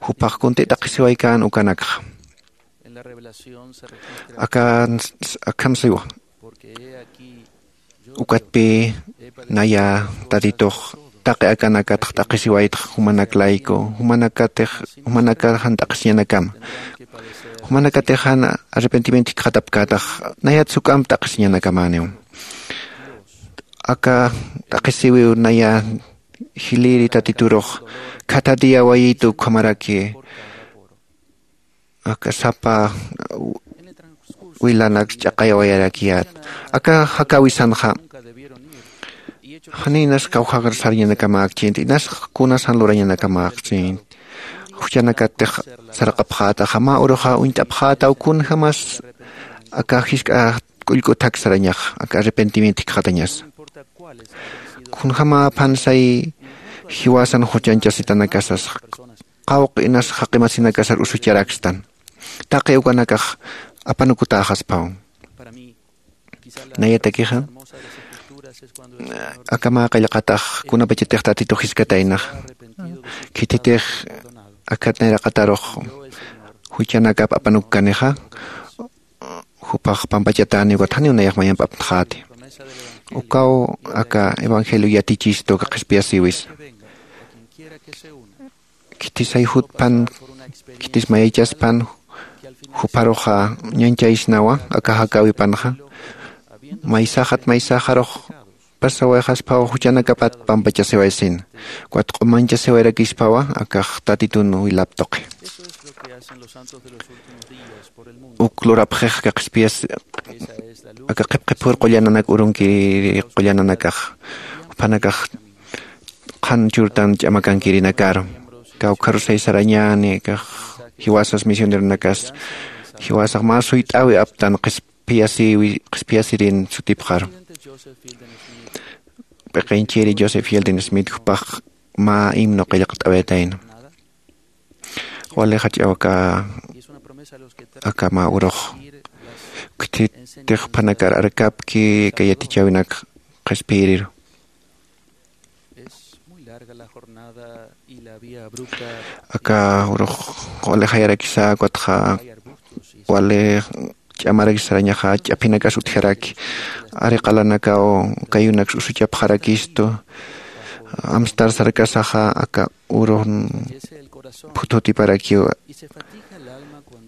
Jupax kuntï t'aqhisiwaykän ukanakxa. Akan akham siwa. Ukatpï naya tatitux taqi akanakatx t'aqhisiwaytx jumanak layku jumanakatix jumanakar jan t'aqhisiñanakama. Jumanakatix jan arrepentimiento jikxatapkätax nayat suk'amp t'aqhisiñanakamäniw. Aka t'aqhisiwiw naya jilïri tatiturux khata día wayitu ukhamaraki aka sapa wilanak ch'aqayawayarakiyät. Aka jakäwisanxa janiw inas kawjak sarañanakamäkchïnti inas kunas jan lurañanakamäkchïnti. Juchanakatix saraqapxätaxa mä uruxa uñt'apxätaw kunjämas aka jisk'a k'ullk'uthak sarañaxa aka arrepentimiento jikxatañasa. Kunjämäpan say jiwasan juchañchasitanakasas qawqi inas jaqimasinakasar usucharakstan. Taqi ukanakax apanukutäxaspaw. Nayatakixa aka mä qillqatax kunapachatix tatitux jiskataynaxa khithitix akhat nayraqatarux juchanakap apanukkanixa jupax pampachatäni ukat janiw nayax mayamp aptxäti. Ukaw aka evangelio yatichistu aka qhispiyasïwis. Khitis ayjutpan khitis mayaychaspan jupharuxa ñañchaysnawa aka jakäwipanxa maysaxat maysaxarux pasawayxaspaw juchanakapat pampachasiwaysina. Ukat q'umanchasiwayrakispawa akax tatitun wilap tuqi. Uk lurapxix aka qhispiyas aka qhipqhipür qullananak urunkiri qullananakax juphanakax qhan churtan ch'amakankirinakaru. Kawkharusay sarañäni kax jiwasas misioneronakas jiwasax mä suyt'äwi aptan qhispiyasïwi qhispiyasïrin sutipxaru. P'iqinchiri joseph hilden smith jupax mä himno qillqt'awayatayna. Wali jach'aw aka aka mä urux khithitix juphanakar arkapki aka yatichäwinak qhispiyiriru. Aka urux wali jayarakisa, ukatxa wali ch'amarakisarañaxa, ch'aphinakas utjaraki. Ari qalanakaw kayunaks usuchapxarakistu. Amstar sarkasaxa aka urux phuthutiparakiw.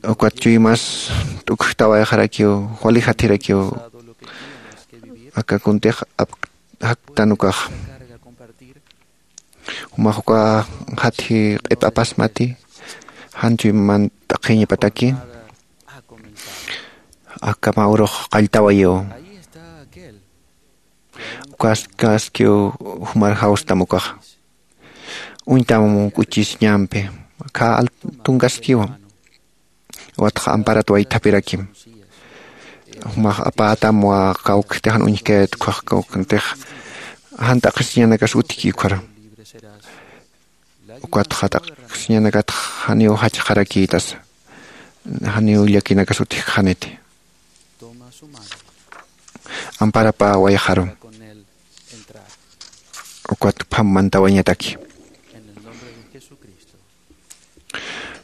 Ukat chuymas t'ukjtawayxarakiw, wali jathirakiw. Aka kuntix ap-, jaktan ukax. Jumax uka jathi q'ip'apasmati, jan chuyman t'aqhiñapataki, akama urux qalltawayiw. Ukaskaskiw jumar jawstam ukaxa. Uñtam k'uchisiñampi, aka altunkaskiwa. Watxa amparat waythapirakim. Jumax apätam wa kawkxtix jan uñjkayät ukhax kawkantix. Jan t'aqhisiñanakas utjki ukhara. Ukatxa t'aqhisiñanakatx janiw jachxarakïtasa. Janiw llakinakas utjkxaniti. Amparapäwayxaru. Ukat pham mantawañataki.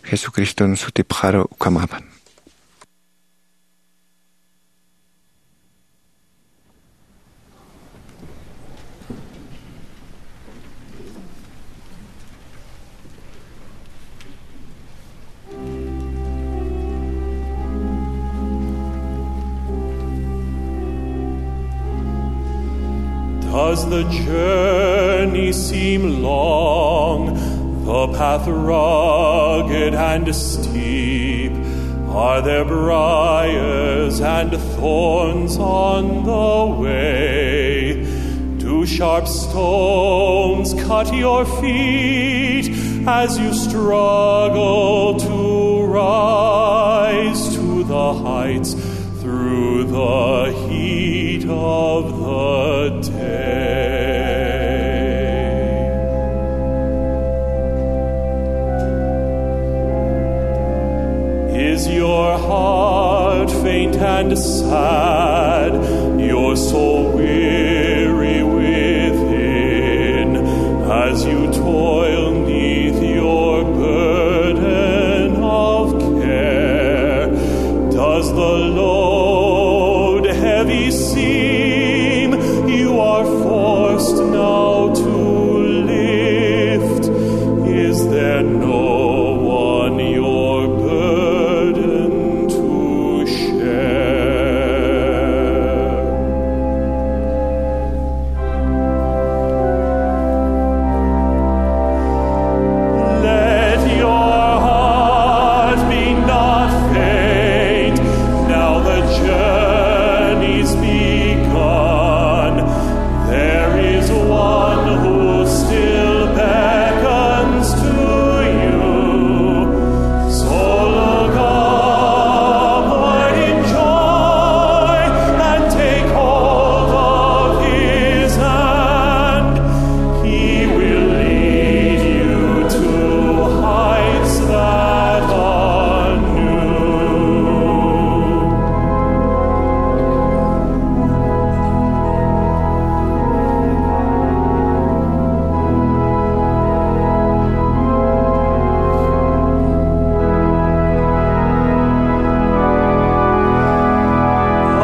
Jesucriston sutipxaru ukhamäpan. Does the journey seem long, the path rugged and steep? Are there briars and thorns on the way? Do sharp stones cut your feet as you struggle to rise to the heights through the heat of the day? Is your heart faint and sad, your soul weary within, as you toil 'neath your burden of care? Does the load heavy seem you are forced now to lift? Is there no one your burden to share? Let your heart be not faint, now the journey's begun. There is one who still beckons to you. So look upward in joy and take hold of his hand. He will lead you to heights that are new. A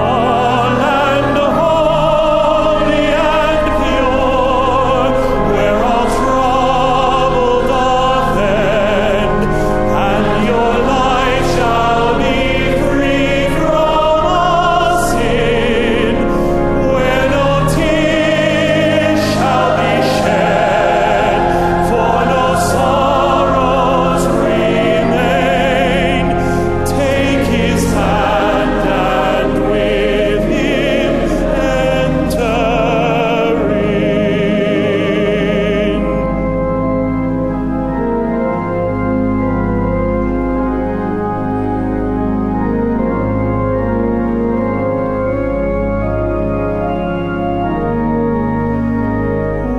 land holy and pure, where all trouble doth end, and your life shall be free from all sin, where no tears shall be shed, for no sorrows remain. Take his hand and with him enter in.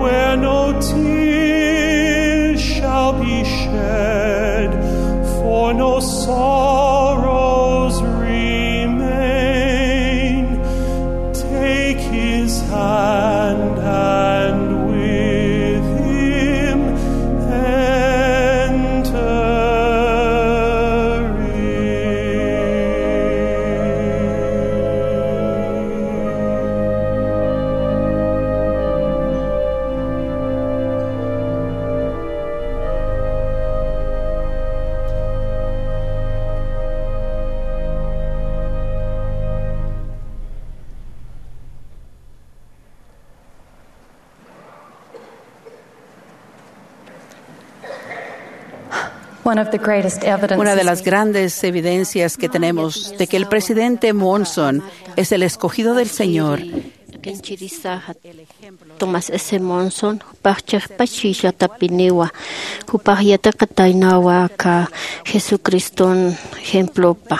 Where no tears shall be shed, for no sorrows remain. Take his hand. Una de las grandes evidencias que tenemos de que el presidente Monson es el escogido del Señor. Qinchirisaxa Thomas S. Monson, jupax chiqpach chillatapiniwa, jupax yatiqataynawa aka Jesucriston ejemplopa.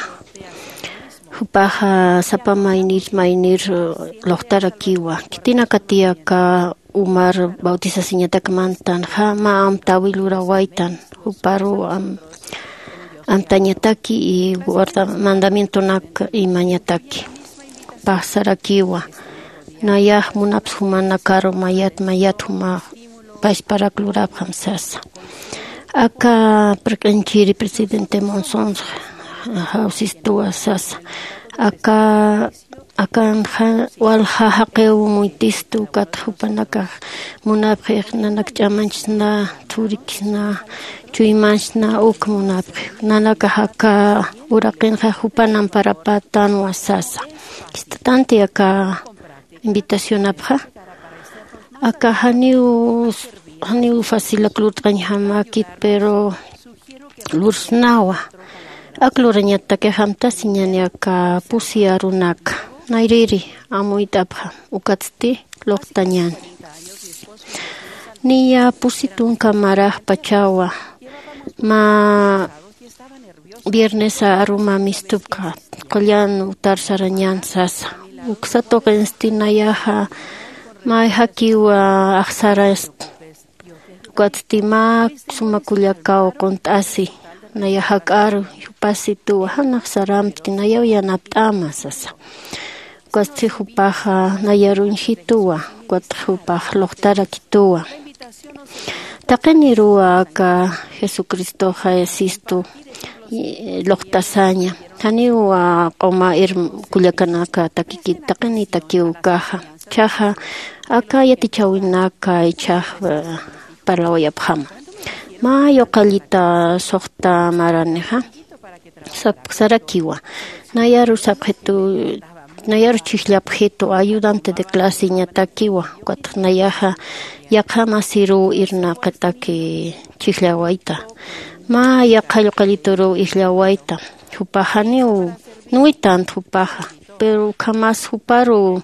Jupaxa sapa maynir maynir luqtarakiwa. Khitinakatï aka umar bautizasiñatak mantanxa mä amtäwi lurawaytan, juparu am- amtañataki y guarda mandamientonak imañataki. Jupax sarakiwa, nayax munapsa jumanakaru mayat mayat juma pachparak lurapxam sasa. Aka p'irq'inchiri presidente Monsons jawsistuwa sasa. Aka akanxa walja jaqiw muytistu, ukatxa jupanakax munapxix nanak ch'amañchsna, thurikisna, chuymañchsna, uk munapxix. Nanakax aka uraqinxa jupan amparapätanwa sasa. Jist'tanti aka invitacionapxa. Aka janiw janiw facilak lurt'añjamäkit, pero lursnawa. Ak lurañatakix amtasiñäni aka pusi arunaka. Nayrïri amuyt'apxam, ukatsti luqtañäni. Niya pusi tunka maraxpachawa mä viernesa aruma mistupxa qullan utar sarañän sasa. Uksa tuqinsti nayaxa mayjakiwa axsarasti. Ukatsti mä suma kullakaw qunt'asi, nayax jak'aru, jupasituwa, jan axsaramti, nayaw yanapt'ama sasa. Ukatsti jupaxa nayar uñjituwa, ukat jupax luqtarakituwa. Taqiniruwa aka Jesucristoxa sistu luqtasaña. Janiw q'uma kullakanaka takikit, taqinïtakiw ukaxa. Jichhaxa aka yatichäwinaka jichhax parlawayapxama. Mä yuqallita suxta maranixa sarakiwa, nayaru sapxitu, nayaru chhijllapxitu, ayudante de claseñatakiwa. Ukatxa nayaxa yaqha masiruw irnaqataki chhijllawayta. Mä yaqha yuqallituruw ijllawayta. Jupax janiw nuwitant jupaxa, pero ukhamas juparu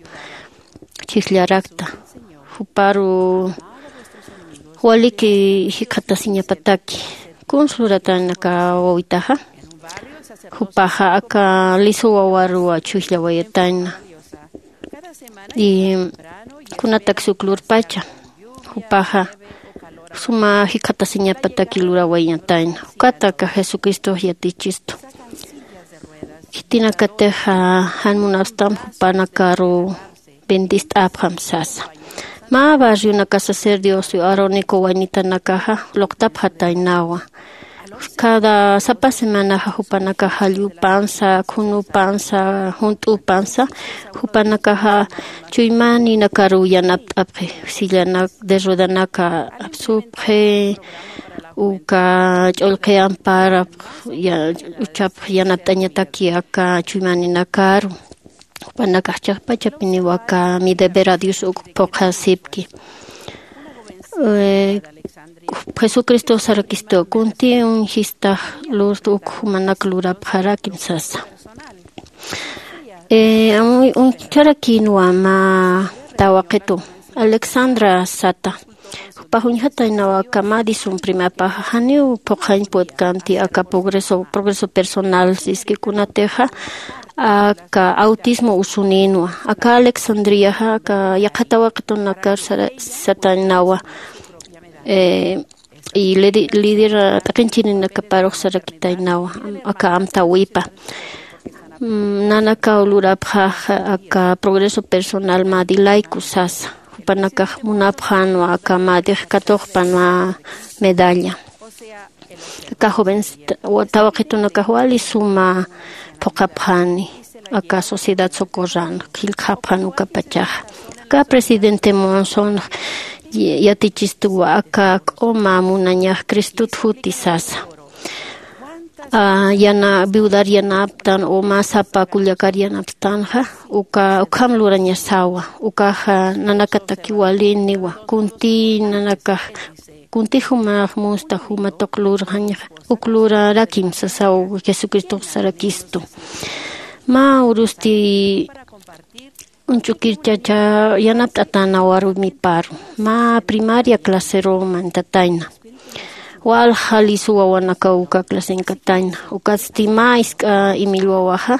chhijllarakta. Juparu waliki jikxatasiñapataki. Kuns luratanaka wawitaxa? Jupaxa aka lisu wawaruwa chhujllawayatayna. Y kunataks uk lurpacha, jupaxa suma jikxatasiñapataki lurawayatayna. Ukata aka Jesucristox yatichistu. Khitinakatixa jan munapstam jupanakaru bendist'apxam sasa. Mä barrionaka sacerdocio arónico waynitanakaxa luqtapxataynawa. Cada sapa semanaxa jupanakax jallwpansa, khunupansa, junt'upansa, jupanakaxa chuymaninakaruw yanapt'apxi, sillanak de ruedanaka apsupxi, uka ch'ullqi amparapx uchapx yanapt'añataki aka chuymaninakaru. Jupanakax chiqpachapiniwa aka mi deber a Dios uk phuqhasipki. Jesucristo sarakistu, kunti uñjistax lurtu uk jumanak lurapxarakim sasa. Uñcharakinwa mä tawaqitu Alexandra sata. Jupax uñjataynawa aka Madison primapaxa, janiw phuqhañ putkanti aka progreso progreso personal siski kunatixa aka autismo usuninwa. Aka Alexandriaxa aka yaqha tawaqitunakar satañnawa. Y lidera t'aqinchirinakaparux sarakitaynawa aka amtäwipa. Nanakaw lurapxax aka progreso personal mä dilayku sasa. Jupanakax munapxänwa aka mä dix katuqpan mä medalla. Aka joven tawaqitunakax wali suma phuqhapxani aka sociedad socorran jillkxapxan ukapachaxa. Aka presidente Monson yatichistuwa aka k'uma munañax Cristut juti sasa. Yana viudar yanaptan o mä sapa kullakar yanaptanxa uka ukham lurañasawa. Ukaxa nanakataki waliniwa, kunti nanakax Kuntix jumax musta juma tuq lurxañax uk lurarakim sasaw. Jesucristox sarakistu. Mä urusti uñch'ukirchacha yanapt'atäna warmiparu mä primaria claseru mantatayna. Walja lisu wawanakaw uka clasenkatayna. Ukatsti mä isk'a imil wawaxa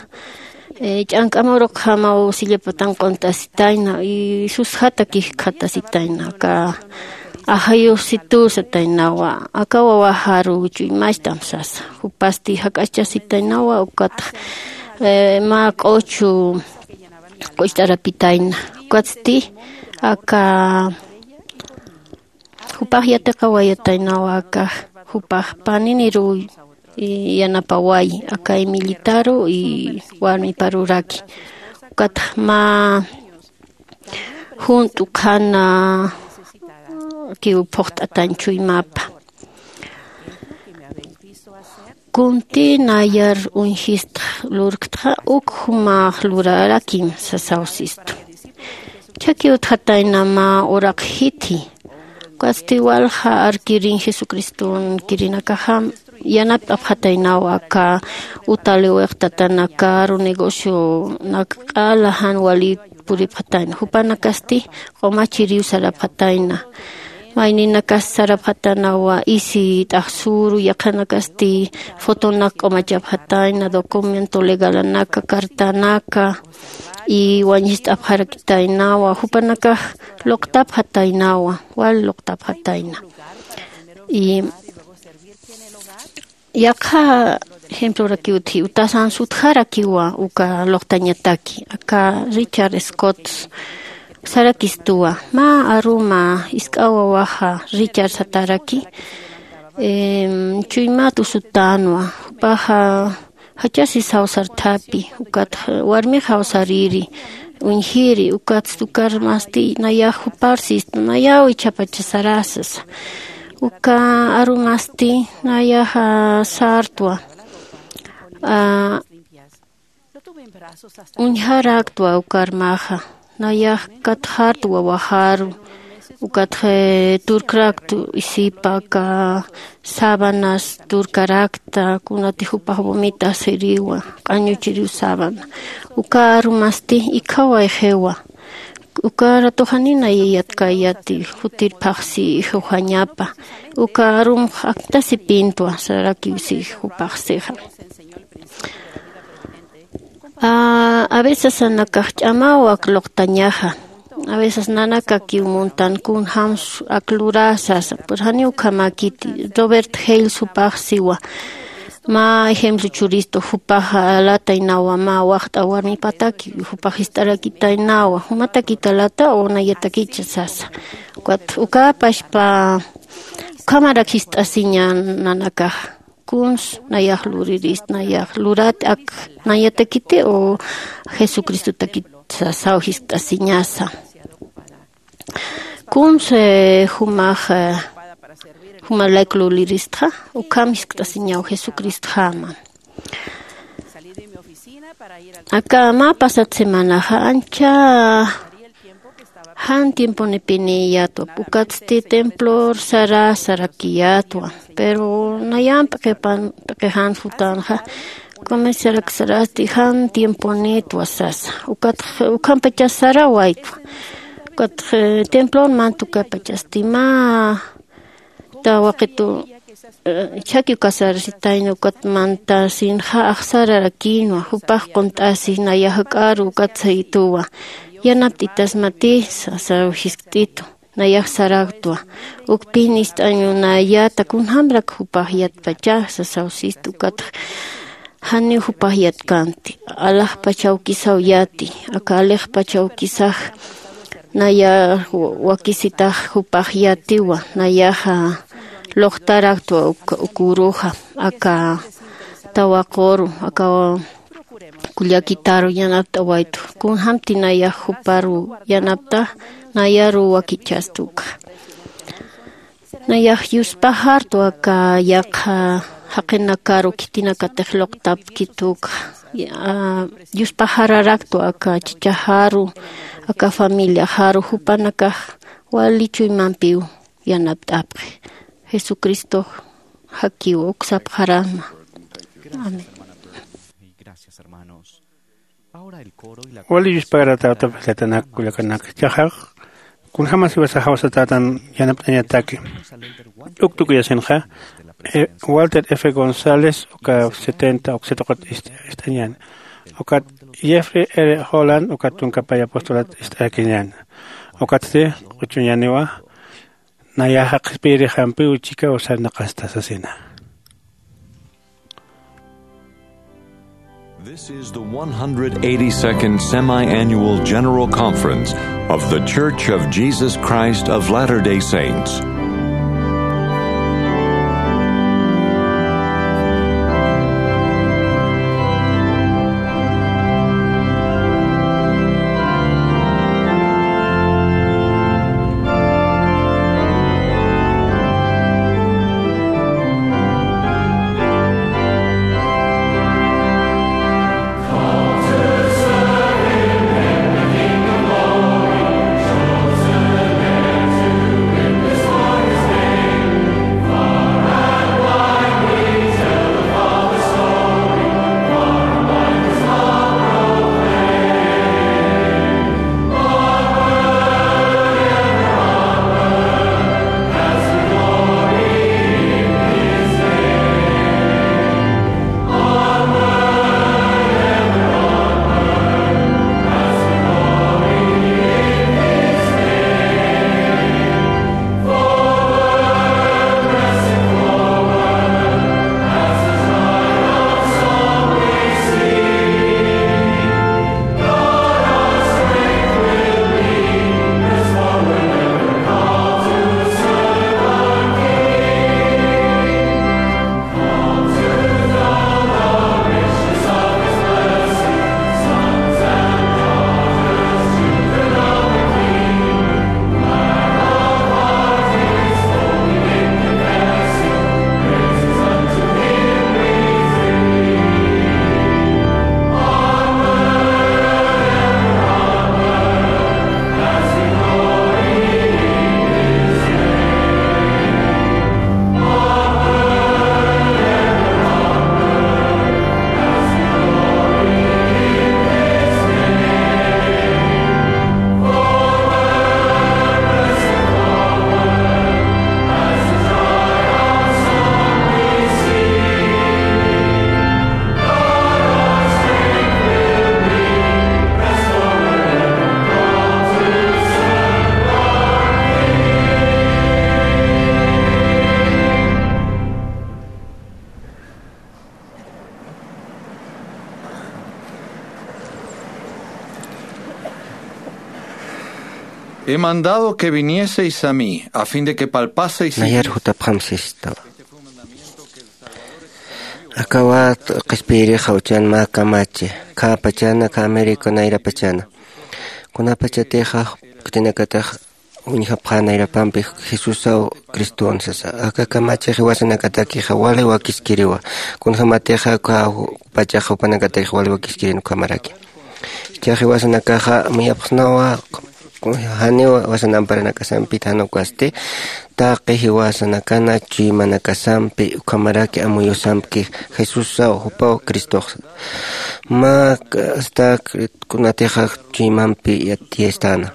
ch'ank'amurukjamaw sillapatan q'unt'asitayna y susjata kijkjatasitayna aka ajayusitu sataynawa. Aka wawaxaru chuymacht'am sasa. Jupasti jak'aschasitaynawa ukatx mä q'uchu q'ucht'arapitayna. Ukatsti aka jupax yatiqawayataynawa aka jupax paniniruw yanapaway aka imillitaru y warmiparuraki. Ukatx mä junt'u qhanakiw phuqt'atañ chuymapa. Kunti nayar uñjistx lurktxa uk jumax lurarakim sasaw sistu. Chhaki utjatayna mä uraq jiti. Ukatsti walja arkirin jesucriston kirinakaxam yanapt'apxataynawa aka utaliw iqtatanakaru negocionak q'ala jan wali puripxatayna jupanakasti q'umachiriw sarapxatayna. Mayninakas sarapxatanawa isi t'axsuru yaqhanakasti fotonak q'umachapxatayna documento legalanaka cartanaka y wañist'apxarakitaynawa jupanakax luqtapxataynawa wal luqtapxatayna. Y yaqha ejemplorakiw utji utasan sutjarakiwa uka luqtañataki aka richard scott sarakistuwa. Mä aruma isk'awa waxa richard sataraki chuymat usutänwa. Jupaxa jachasi sawsarthapi ukatxa warmixaw sariri uñjiri ukatsti ukarmasti nayax juparsistu nayaw ichhapacha sarasasa. Uka arumasti nayaxa sartwa uñjaraktwa ukarmaxa nayax katxartwa waxaru ukatxa turkraktu isipa aka sabanas turkarakta kunati jupax vomitasiriwa q'añuchiriw sabana. Uka arumasti ikhawayxiwa uka ratuxanina yayatkayati jutirphaxsi ixuxañapa uka arumx aktasipintwa sarakiwsi jupaxsixa. Avecesanakax ch'amaw ak luqtañaxa. Aveces nanakakiw muntan kunjämsu ak lurä sasa pero janiw ukhamäkiti. Robert hales jupax siwa mä ejemplo churistu jupax alataynawa mä waxt'a warmipataki jupax jist'arakitaynawa jumatakita alata o nayatakicha sasa. Ukat ukäpachpa ukhamarak jist'asiña nanakaxa kuns nayax luririst nayax lurat ak nayatakiti o jesucristotakit sasaw jist'asiñasa. Kuns jumax jumalayk luliristxa ukham jiskt'asiñaw jesucristjama. Aka mä pasat semanaxa ancha jan tiemponipiniyatwa ukatsti templor sara sarakiyatwa pero nayam p'iqipan p'iqixan jutänxa comerciarak sarasti jan tiemponitwa sasa. Ukatx ukhampachas sarawaytwa ukatx templor mantukapachasti mä tawaqitu chhaki ukasarasitayna ukat mantasinxa axsararakïnwa jupax qunt'asi nayax jak'aru ukat sayituwa yanapt'itasmatï sasaw jiskt'itu. Nayax saraktwa ukpin ist'añunayäta kunjämrak jupax yatpacha sasaw sistu ukatx janiw jupax yatkänti alaxpach awkisaw yäti aka alixpach awkisax nayax wakisitax jupax yätiwa nayaxa luqtaraktwa uk uruxa aka tawaquru aka kullakitaru yanapt'awaytu kunjämti nayax juparu yanaptax nayaruw wakichästu ukxa. Nayax yuspaxartu aka yaqha jaqinakaru khitinakatix luqtapkitu ukxa yuspaxararaktu aka chichaxaru aka familiaxaru jupanakax wali chuymampiw yanapt'apxi. Jesucristox jakiw uksapxarama. Amén. Wali yuspagaratätap jilatanak kullakanak, chaxax kunjämas jiwasax jawsatätan yanapt'añataki. Uktukuyasinxa, eh, Walter F González uka setenta uksituqat ist'añäni. Ukat Jeffrey R Holland ukat tunka pay apostolat ist'akiñäni. Ukatsti q'uchuñäniwa, nayaxa qhispiyirixampiw chikaw sarnaqasta sasina. This is the one hundred eighty-second Semi-Annual General Conference of The Church of Jesus Christ of Latter-day Saints. He mandado que vinieseis a mí, a fin de que palpaseis. Nayar jutapxam sistawa. Akawat qhispiyirix jawchan mä kamachi, khäpachana, khä América nayrapachana. Kunapachatixa, khitinakatax uñjapxä nayrapampi Jesusaw Criston sasa. Aka kamachix jiwasanakatakixa wali wakiskiriwa. Kunjämatixa uka pachax jupanakatakixa wali wakiskirin ukhamaraki. Jichhax jiwasanakaxa amuyapxsnawa, janiw jiwasan amparanakasampit, jan ukasti taqi jiwasanakana chuymanakasampi ukhamaraki amuyusampki Jesusaw jupaw Cristox. Mä asta kunatixa chuymampi yatiyastāna.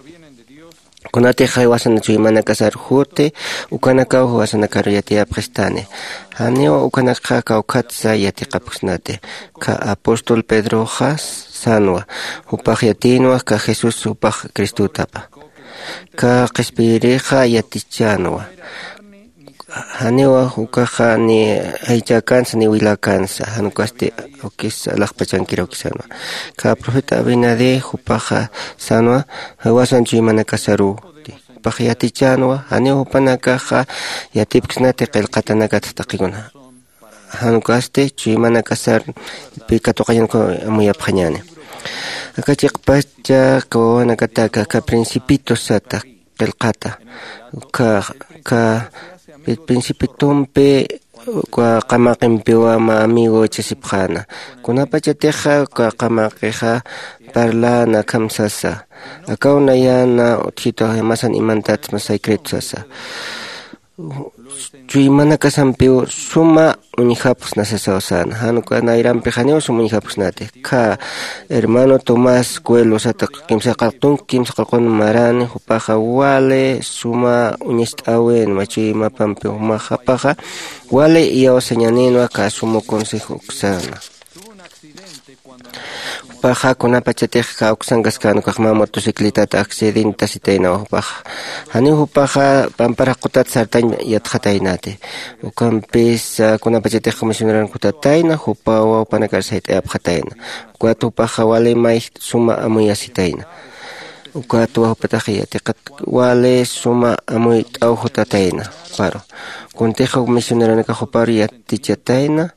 Kunatix jiwasan chuymanakasar juti, ukanakaw jiwasanakar yatiyapxistani. Janiw ukanakxa kawkhatsa yatiqapxsnati. Ka apóstol Pedroxa sänwa, jupax yatïnwa ka Jesús jupax Cristotapa. Ka qhispiyirixa yatichänwa. Janiwa ukaxa ni aychakansa ni wilakansa, jan ukasti awkis alaxpachankir awkisänwa. Ka profeta Abinadí jupaxa sänwa, jiwasan chuymanakasaruw. Jupax yatichänwa, janiw jupanakaxa yatipksnati qillqatanakat taqikuna. Jan ukasti chuymanakasar pi katuqañan amuyapxañäni. Aka chiqpacha wawanakataka aka Principito sata qillqata. Ka, ka Principitumpi uka qamaqimpiwa mä amigo ichhasipxäna. Kunapachatixa uka qamaqixa parläna akham sasa. Akaw nayäna utjitu jimasan imantats mä secreto sasa. chuymanakasampiw suma uñjapxsna sasaw säna. Jan uka nayrampix janiw suma uñjapxsnati. Kha hermano Tomás Coelho sata kimsa qalqun, kimsa qalqun marani, jupaxa wali suma uñast'äwinwa chuymapampi, jumaxapaxa wali iyawsañaninwa kha suma consejo uksäna. Jupaxa kunapachatix kawksankaskän ukax mä motocicletata accidentasitaynawa jupaxa. Janiw jupaxa pampar jaqutat sartañ yatxataynati. Ukampis kunapachatix misioneran kutatayna jupawa jupanakar sayt'ayapxatayna. Ukat jupaxa wali may suma amuyasitayna. Ukatwa jupatax yatiqat wali suma amuyt'aw jutatayna juparu. Kuntix misioneranakax juparu yatichatayna.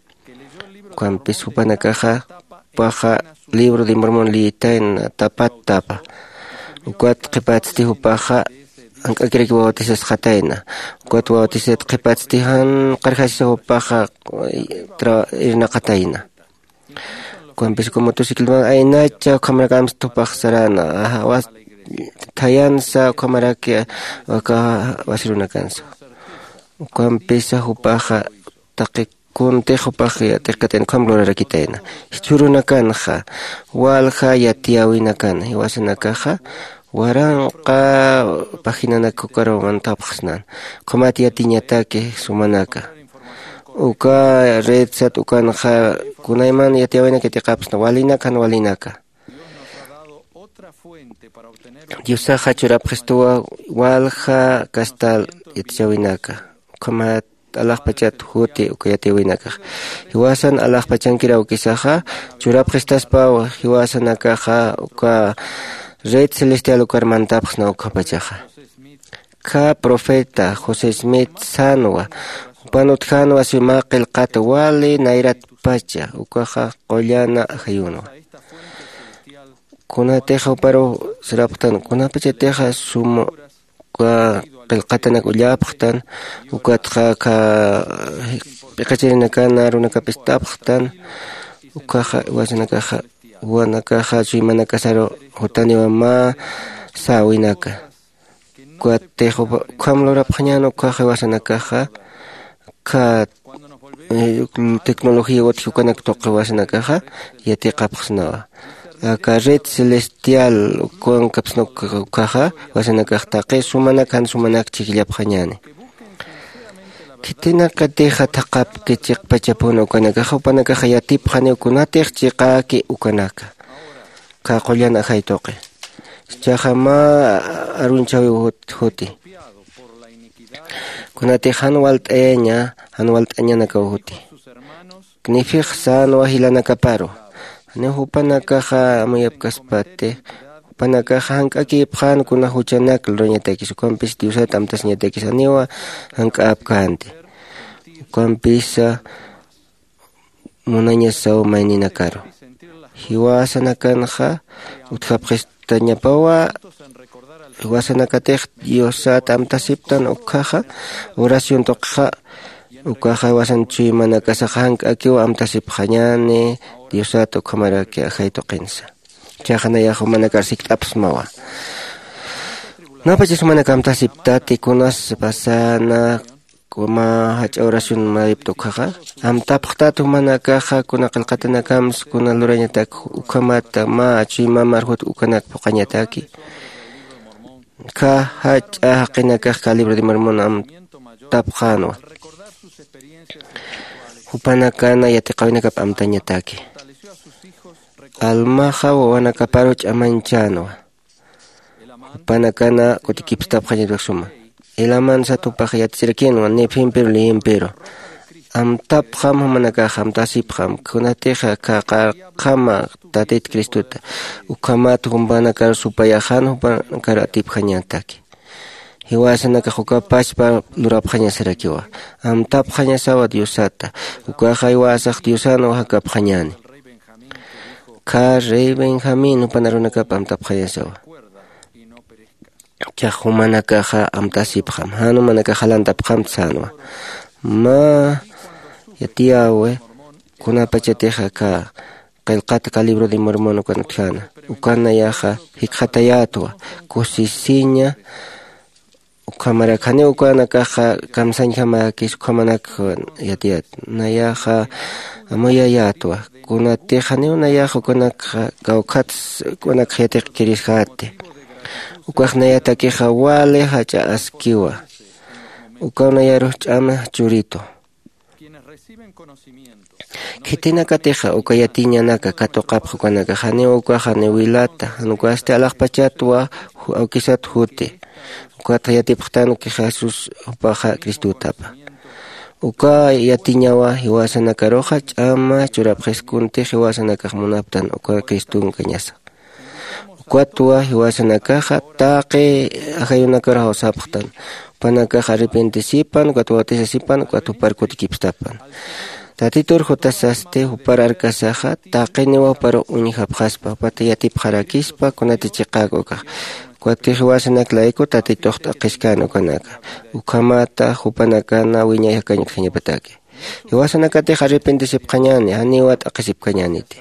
Ukampis jupanakaxa jupaxa libro de Mormon liyitayna tapat tapa. Ukat qhipatsti jupaxa jank'akiraki bautisasxatayna. Ukat bautisat qhipatsti jan qarjasisa jupaxa irnaqatayna. Ukampis uka motocicletan aynacha ukhamarakamsti jupax sarana. Thayansa ukhamaraki waka wasirunakansa. Ukampisa jupaxa taqi kuntix jupax yatiqkatayna ukham lurarakitayna. Jichhürunakanxa walja yatiyäwinakana jiwasanakaxa waranqa paginanak ukaru mantapxsnan. Ukhamat yatiñataki sumanaka uka redsat ukanxa kunayman yatiyäwinak yatiqapxsna walinak jan walinaka. Diosaxa churapxistuwa walja kastal yatichäwinaka. Ukhamat alaxpachat juti uka yatiyäwinakax. Jiwasan alaxpachankir awkisaxa churapxistaspaw jiwasanakaxa uka red celestial ukar mantapxsna ukhapachaxa. Kha profeta José Smith sänwa jupan utjänwa suma qillqat wali nayratpacha ukaxa qullana ajayunwa. Kunatix juparu sarapxtan kunapachatixa suma uka qillqatanak ullapxtan ukatxa kha p'iqachirinakana runakapist'apxtan. Ukaxa iwasanakaxa juwanakaxa chuymanakasaru jutaniwa mä säwinaka. Ukatix ukham lurapxañän ukkhax jiwasanakaxa kha tecnología utji ukanak tuqi jiwasanakaxa yatiqapxsnawa. Aka red celestial ukankapsna ukkhaxa jiwasanakax taqi sumanak jan sumanak chhijllapxañäni. Khitinakatixa thaqhapki chiqpachapuna ukanakaxa jupanakaxa yatipxaniw kunatix chiqäki ukanaka kha qullan ajay tuqi. Ichaxa mä arunchäwiw juti kunatix jan walt'ayaña jan walt'añanakaw juti. Knifix sänwa jilanakaparu janiw jupanakaxa amuyapkaspati jupanakaxa jank'akïpxän kuna juchanak lurañatakis ukampis diosat amtasiñatakis janiwa jank'äpkänti. Ukampisa munañasaw mayninakaru jiwasanakanxa utjapxistañapawa. Jiwasanakatix diosat amtasiptan ukkhaxa oración tuqxa ukaxa jiwasan chuymanakasaxa jank'akiw amtasipxañäni diosat ukhamaraki ajay tuqinsa. Ichaxa nayax jumanakar sikt'apxsmawa. Kunapachas jumanak amtasiptati kunas pasana mä jach'a oración mayipta ukkhaxa amtapxtat jumanakaxa kuna qillqatanakams kuna lurañatak ukhamat mä chuymamar jut ukanak phuqañataki. Kha jach'a jaqinakax kha libro de Mormon amtapxänwa. Jupanakana yatiqäwinakap amtañataki. Almaxa wawanakaparu ch'amañchänwa. Jupanakana kutikipstapxañatak suma. Elaman sat jupax yatichirakinwa nefempiru leyempiru. Amtapxam jumanakax amtasipxam kunatixa kha qarqhama tatit cristota ukhamat jupanakar supayaxan jupanakar atipjañataki. Jiwasanakax uka pachpa lurapxañasarakiwa. Amtapxañasawa diosata ukaxa jiwasax diosanwa jakapxañäni. Kha rey benjamín jupan arunakap amtapxañasawa. Chax jumanakaxa amtasipxam jan jumanakax jalantapxamta sänwa. Mä yatiyäwi kunapachatixa kha qillqata kha libro de Mormon ukan utjäna ukan nayaxa jikxatayätwa kusisiña. Ukhamarak janiw ukanakaxa kamsañjamäkis ukhamanak yatiyät. Nayaxa amuyayätwa. Kunatix janiw nayaxa ukanakxa kawkhats ukanakxa yatiqkiriskäti. Ukax nayatakixa wali jach'a askiwa. Ukaw nayarux ch'ama churitu. Khitinakatixa uka yatiñanaka katuqapx ukanakax janiw ukaxa niwilata, jan ukasti alaxpachatwa awkisat juti. Ukatxa yatipxtanki Jesús jupaxa Cristutapa. Uka yatiñawa jiwasanakaruxa ch'ama churapxiskunti jiwasanakax munaptan uka Cristunkañasa. Ukatwa jiwasanakaxa taqi ajayunakaruxaw sapxtan. Jupanakax arrepentisipan, ukat bautisasipan, ukat jupar kutikipstapan. Tatitur jutasasti jupar arkasaxa taqiniwa juparux uñjapxaspa, jupat yatipxarakispa, kunati chiqäk ukax. Ukat jiwasanak layku Tatitux t'aqhiskäna ukanaka. Ukhamata jupanakana wiñay jakañ utjañapataki. Jiwasanakatix arrepentisipxañäni, janiwa t'aqhisipkañäniti.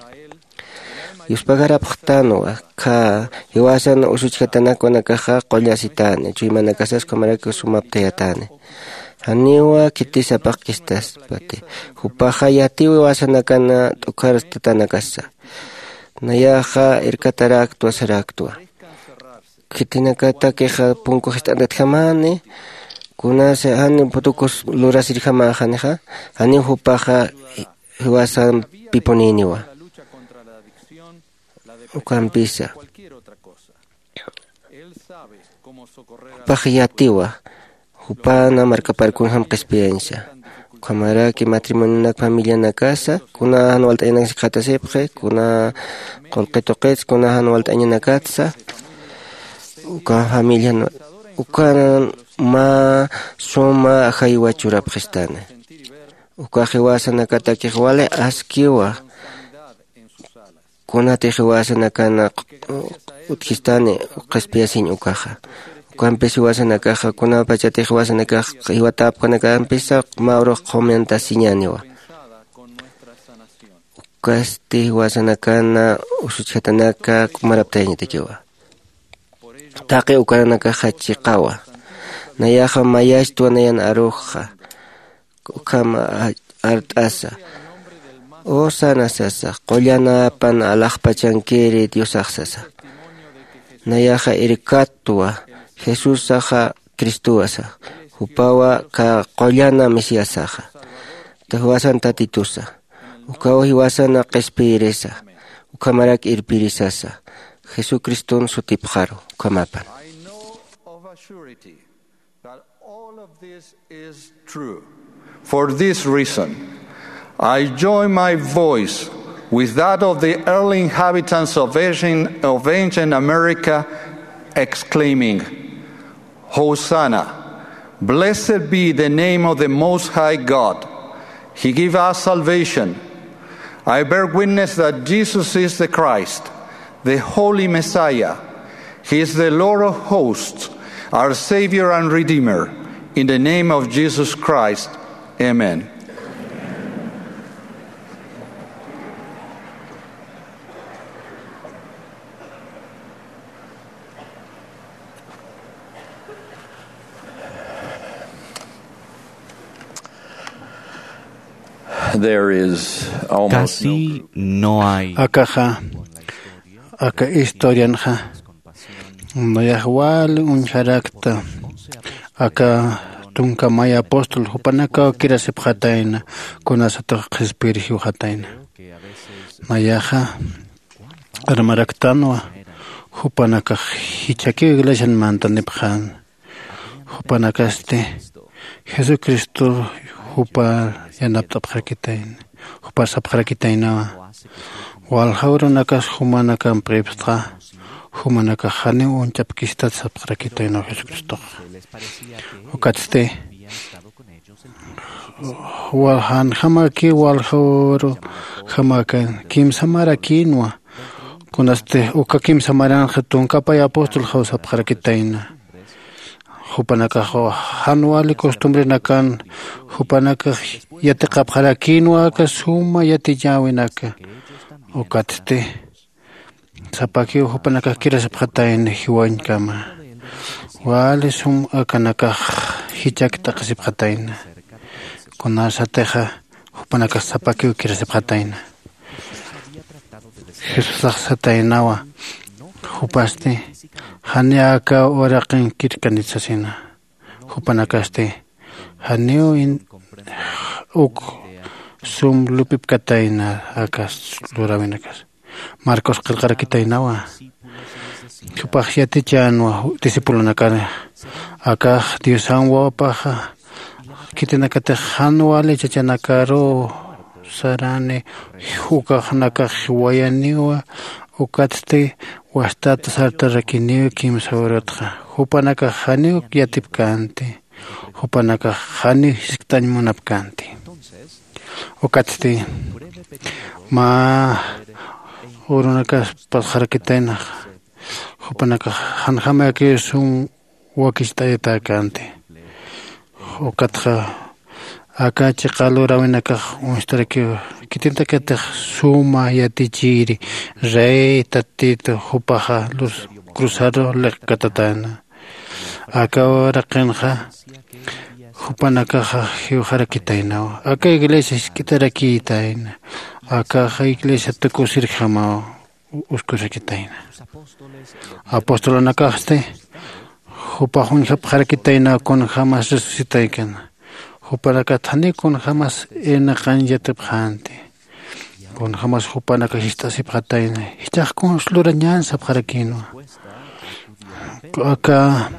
Yuspagarapxtanwa, khä jiwasan usuchjatanakunakaxa qullasitäni, chuymanakasas ukhamaraki sumaptayatäni. Janiwa khitis sapaqkistaspati. Jupaxa yatiw jiwasanakana t'ukharstatanakasa. Nayaxa irkataräktwa saräktwa. Khitinakatakixa punku jist'ant'atjamäni, kunasa jan putukus lurasirjamäxanixa, janiw jupaxa jiwasampipunïniwa. Ukampisa jupax yatiwa, jupana markaparkunjam qhispiyañsa. Ukhamaraki matrimonionak familianakasa, kuna jan walt'añanak sikxatasipxi, kuna qullqi tuqits, kuna jan walt'añanakatsa, uka familian ukanan mä suma ajaywa churapxistani. Uka jiwasanakatakix wali askiwa. Kunatix jiwasanakana utjistani qhispiyasiñ ukaxa. Ukampis jiwasanakaxa kunapachatix jiwasanakax jiwatäpkanakampisa mä urux qhumantasiñäniwa. Ukasti jiwasanakana usuchjatanaka k'umaraptayañatakiwa. Taqi ukanakaxa chiqawa. Nayaxa mayachtwa nayan aruxxa. Ukham art'asa, Hosana sasa, qullanäpan alaxpachankiri Diosax sasa. Nayaxa irkatwa, Jesusaxa Cristowa sa, jupawa ka qullana Mesiasaxa. Jiwasan Tatitusa, ukaw jiwasana qhispiyirisa, ukhamarak irpirisasa, Jesucriston sutipxaru, ukhamapan. That all of this is true. For this reason, I join my voice with that of the early inhabitants of ancient, of ancient America, exclaiming, Hosanna! Blessed be the name of the Most High God. He give us salvation. I bear witness that Jesus is the Christ, the Holy Messiah. He is the Lord of hosts, our Savior and Redeemer. In the name of Jesus Christ, amen. There is almost no Casi group no hay. Akaxa, aka historianxa, nayax wali uñjarakta, aka tunka may apóstol, jupanakaw kirasipxatayna, kunasatix qhispiyir jiwxatayna. Nayaxa, armaraktanwa, jupanakax jichhakiw iglesian mantanipxän. Jupanakasti Jesucristo jupar yanapt'apxarakitayna, jupar sapxarakitaynawa. Walja urunakas jumanakamp qhipstxa, jumanakax janiw uñchapkistat sapxarakitaynaw Jesucristoxa. Ukatsti, wal janjamakiw walja uru jamakan kimsa marakïnwa. Kunasti uka kimsa maranxa tunka pay apóstolxaw sapxarakitayna. Jupanakax jan wali costumbrenakan, jupanakax yatiqapxarakïnwa aka suma yatiñäwinaka. Ukatsti, sapakiw jupanakax kirasipxatayna jiwañkama. Wali sum akanakax jichak t'aqhisipxatayna. Kunasatixa jupanakax sapakiw kirasipxatayna. Jesusax sataynawa. Jupasti jani aka uraqin kirkanit sasina. Jupanakasti janiw in- uk sum lup'ipkatayna aka luräwinakas. Marcos qillqarakitaynawa. Jupax yatichänwa discipulonakar, akax diosan wawapaxa khitinakatix jan wali chachanakaruw sarani, ukaxnakax jiwayaniwa. Ukatsti wastat sartarakiniw kimsa urutxa. Jupanakax janiw yatipkänti. Jupanakax janiw jisk'tañ munapkänti. Ukatsti mä urunakas pasxarakitaynaxa. Jupanakax janjamakiw sum wakicht'ayatäkänti. Ukatxa aka chiqa luräwinakax uñstarakiw khitintakatix suma yatichiri, rey tatitu, jupaxa lus cruzaru liqkatatäna. Aka uraqinxa jupanakaxa jiwxarakitaynaw. Aka iglesia jisk'itarakïtayna. Akaxa iglesia tukusirjamaw uskurakitayna. Apostolonakaxsti jupax uñjapxarakitaynaw kunjämas resucitaykana. Jupanakat janiw kunjämas irnaqañ yatipxänti. Kunjämas jupanakax jist'asipxatayna. Jichhax kuns lurañän sapxarakïnwa. Aka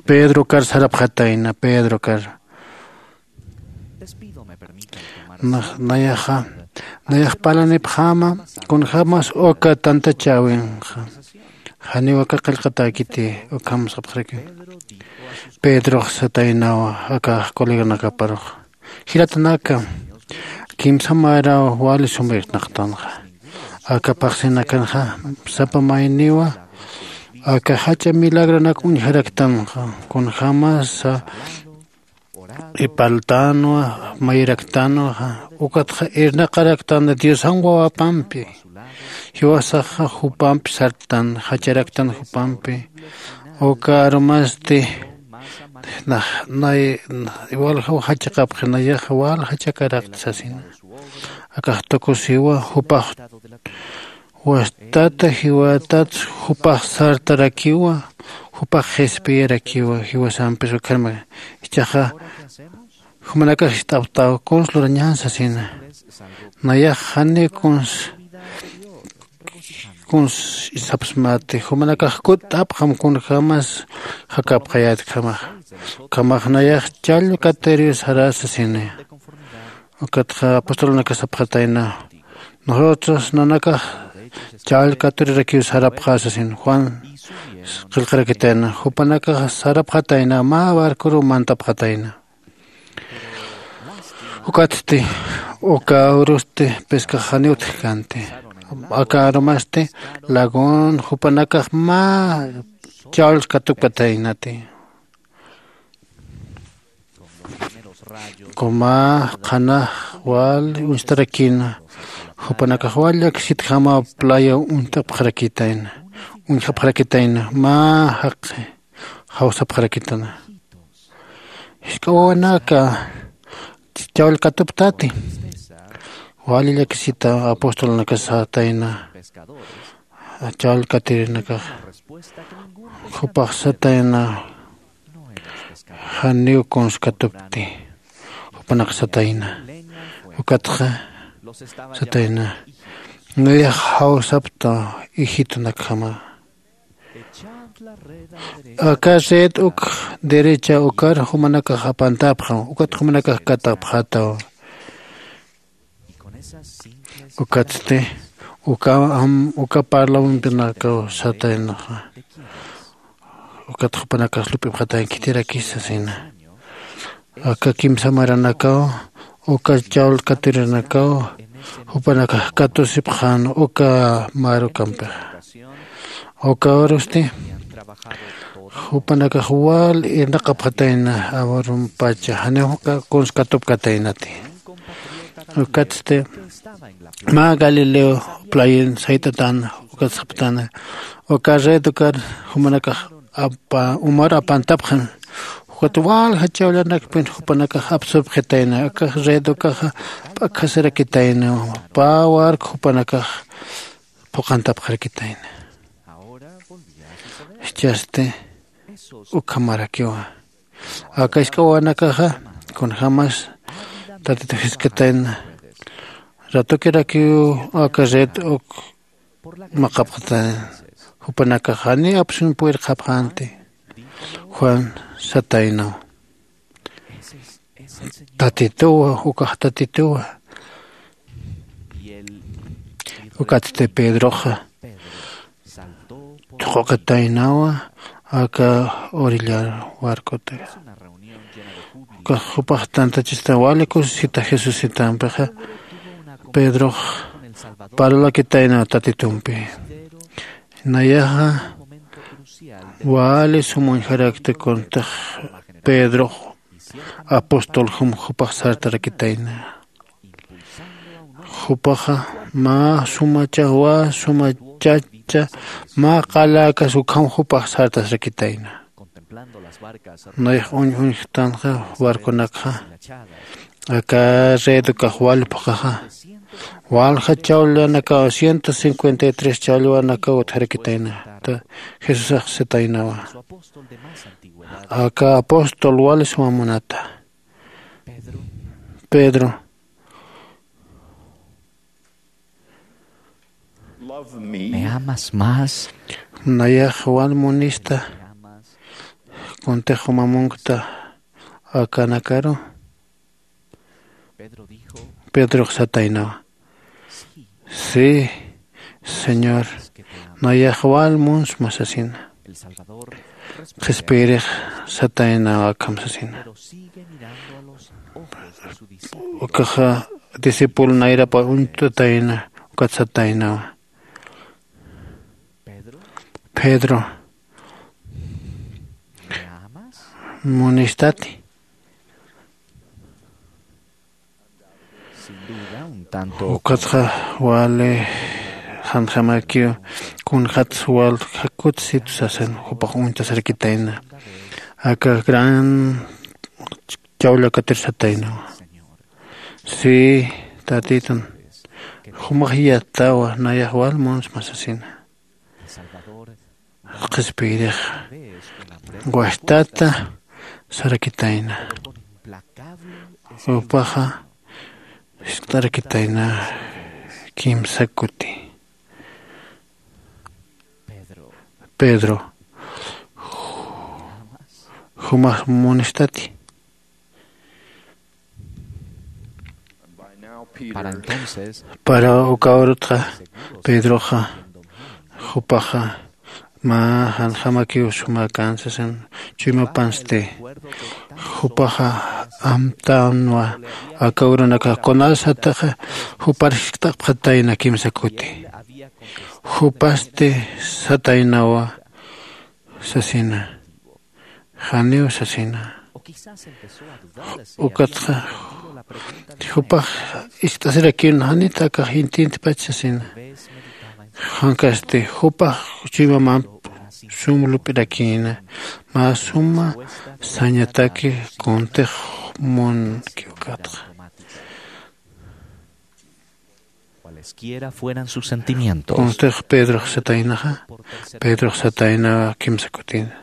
pedrokar sarapxatayna, pedrokar. Nax nayaxa nayax parlanipxäma kunjämas uka tantachäwinxa. Janiw aka qillqatäkiti. Ukham sapxarakïn. Pedrox sataynawa aka coleganakaparux, jilatanaka, kimsa maraw wali sum irnaqtanxa. Aka phaxsinakanxa sapa mayniwa aka jach'a milagronak uñjaraktanxa. Kunjämasa ipaltanwa, mayiraktanwa, ukatxa irnaqaraktan diosan wawapampi. Jiwasaxa jupampi sartan, jacharaktan jupampi. Uka arumasti nax nay waljaw jachaqapxi, nayaxa wal jachakarakti sasina. Akax tukusiwa jupax wastata jiwatat jupax sartarakiwa, jupax qhispiyarakiwa jiwasampis ukharma. Ichaxa jumanakax jist'apxtaw kuns lurañän sasina. Nayax jani kuns kuns isapsmati, jumanakax kutt'apxam kunjämas jakapxayätkamax. Ukhamax nayax chall katiriw sarä sasini. Ukatxa apostolunakax sapxatayna, nosotros nanakax chall katurirakiw sarapxä sasin. Juan qillqarakitayna, jupanakax sarapxatayna, mä barcoruw mantapxatayna. Ukatsti uka urusti pescax janiw utjkänti. Aka arumasti lagun jupanakax mä chall katupkataynati. Kuna qhanax wal uñstarakïna, jupanakax wal llakisitjamaw playa uñt'apxarakïtayna, uñjapxarakïtayna, mä jaqi jawsapxarakïtana. Jisk'a wawanaka chawll katuptati. Wali llakisita apostolunakax satayna, chawll katirinakax. Jupax satayna, janiw kuns katupti. Jupanakax satayna, ukatxa satayna, nayax jawsapta ijitunakjama. Aka red uk derecha ukar jumanakax apantäpxam, ukat jumanakax katapxätaw. Ukatsti uka am uka parlawimpunakaw sataynaxa. Ukat jupanakax lup'ipxatay khitirakis sasina. Aka kimsa maranakaw, uka chawll katurinakaw, jupanakax katusipxän uka mar ukampixa. Uka urusti jupanakax wal irnaqapxatayna, awarumpacha janiw kuns katupkataynati. Ukatsti mä Galileo playin sayt'atäna, ukat sapxtäna, uka red ukar jumanakax apa umar apantapxan. Jukat walja chawllanakpin jupanakax apsupxitayna akax red ukaxa p'akjasirakitayna. Pä wark jupanakax phuqantapxarakitayna. Jichhasti ukhamarakiwa. Aka isk'awanakaxa kunjämas tatitux jiskatayna. Ratukirakiw aka red uk maqapxatayna. Jupanakax janiw apsun purirqapxänti. Juan sataynaw. Tatituwa ukax tatituwa. Ukatsti pedroxa thuq'ukataynawa aka orillar warkutaka. Ukax jupax tantachista wali kusisita jesusitampixa pedrox parlakitaynaw tatitumpi. Nayaxa wali sumuñjarakti kuntix pedrox apóstol jum jupax sartarakitayna. Jupaxa mä suma chawä suma chacha mä qaläkas ukham jupax sartasrakitayna. Nayax uñ uñjtanxa warkunakxa aka red ukax wal phuqaxa walja chawllanakaw ciento cincuenta y tres chawllanakaw utjarakitayna. Jesusax sataynawa aka apóstol wali suma munata. Pedro, ¿me amas más? Nayax wal munista kuntix juma munkta akanakaru. Pedrox sataynawa. Sí, señor, nayax wal munsma sasina. Qhispiyirix sataynawa akham sasina. Ukaxa discípulo nayrapa uñtatayna ukat sataynawa. Pedro, ¿munistati? Ukatxa wali janjamakiw kunjats wal jakutsitu sasin jupax uñtasarkitayna. Aka gran chawllakatir sataynawa. Sí, tatitun, jumax yatawa nayax wal munsma sasina. Qhispiyirix wajtata sarakitayna. Jupaxa jiskt'arakitayna kimsa kuti. Pedro, jumax munistati? Para uka urutxa pedroxa jupaxa mä janjamakiw sumäkän sasin chuymapansti. Jupaxa amtänwa aka urunakax kunasataxa jupar jiskt'apxatayna kimsa kuti. Jupasti sataynawa sasina. Janiw sasina. Ukatxa jupax ist'asirakïn janit akax intintipach sasina. Jankasti jupax chuymamamp sum lup'irakïna mä suma sañataki kuntix munki ukatxa. Cualesquiera fueran sus sentimientos. Kunstix pedrox sataynaxa pedrox sataynawa kimsa kutina.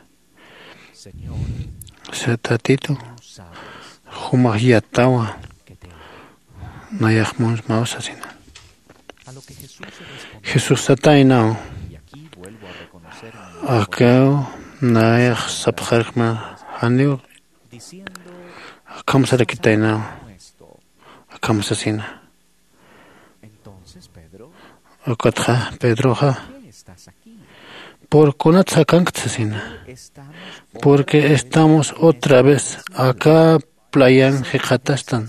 Sata titu jumax yatawa nayax munsmaw sasina. Jesús sataynaw. Akaw nayax sapxarkma janiw akham sarakitaynaw. Akham sasina. Ukatxa pedroxa purkunat sakankt sasina. Porque estamos otra vez aka playan jikxatastan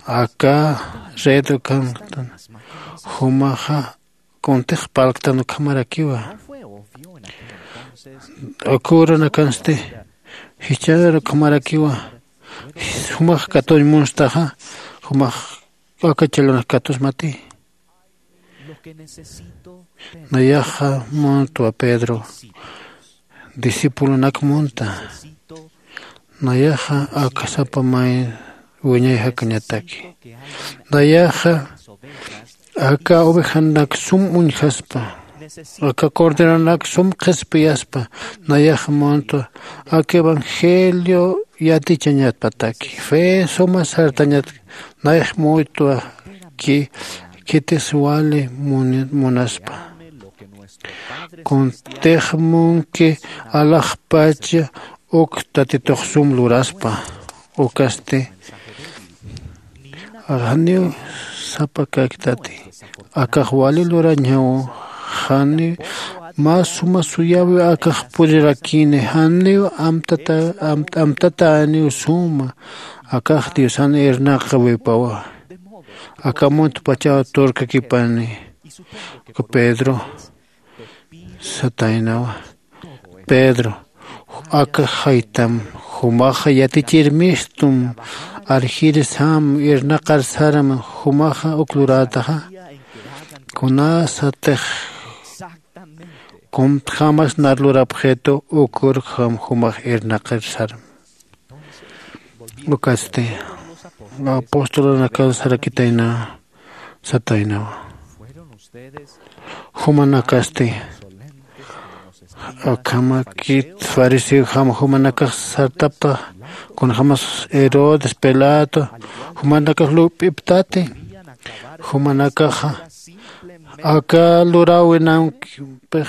aka red ukanktan. Jumaxa kuntix parlktan ukhamarakiwa. Uka urunakansti jichhar ukhamarakiwa. Jumax katuñ munstaxa jumax aka challwanax katusmati. Nayaxa muntwa pedro. discipulonak munta. Nayaxa aka sapa may wiñay jakañataki. Nayaxa aka ovejanak sum uñjaspa, aka corderonak sum qhispiyaspa. Nayaxa munta aka evangelio yatichañatpataki, fe suma sartañat. Nayax muytwa ki khitis wali muni- munaspa. Kuntix munki alaxpacha uk tatitux sum luraspa. Ukasti janiw sapa kaktati, akax wali lurañaw. Janiw mä suma suyäwi akax purirakini, janiw amtata- amt- amtataniw suma. Akax diosan irnaqawipawa. Aka muntpachaw turkakipani. Pedro sataynawa. Pedro, aka jaytam, jumaxa yatichirmistum, arjirsam, irnaqarsaram, jumaxa uk lurätaxa. Kunasatix kuntjamas nar lurapxitu, ukurjam jumax irnaqarsaram. Ukatsti apostolanakan sarakitayna sataynawa. Jumanakasti akhamakit fariseojam jumanakax sartapta, kunjamas Herodes, Pilato, jumanakax lup'iptati. Jumanakaxa aka luräwinamkpix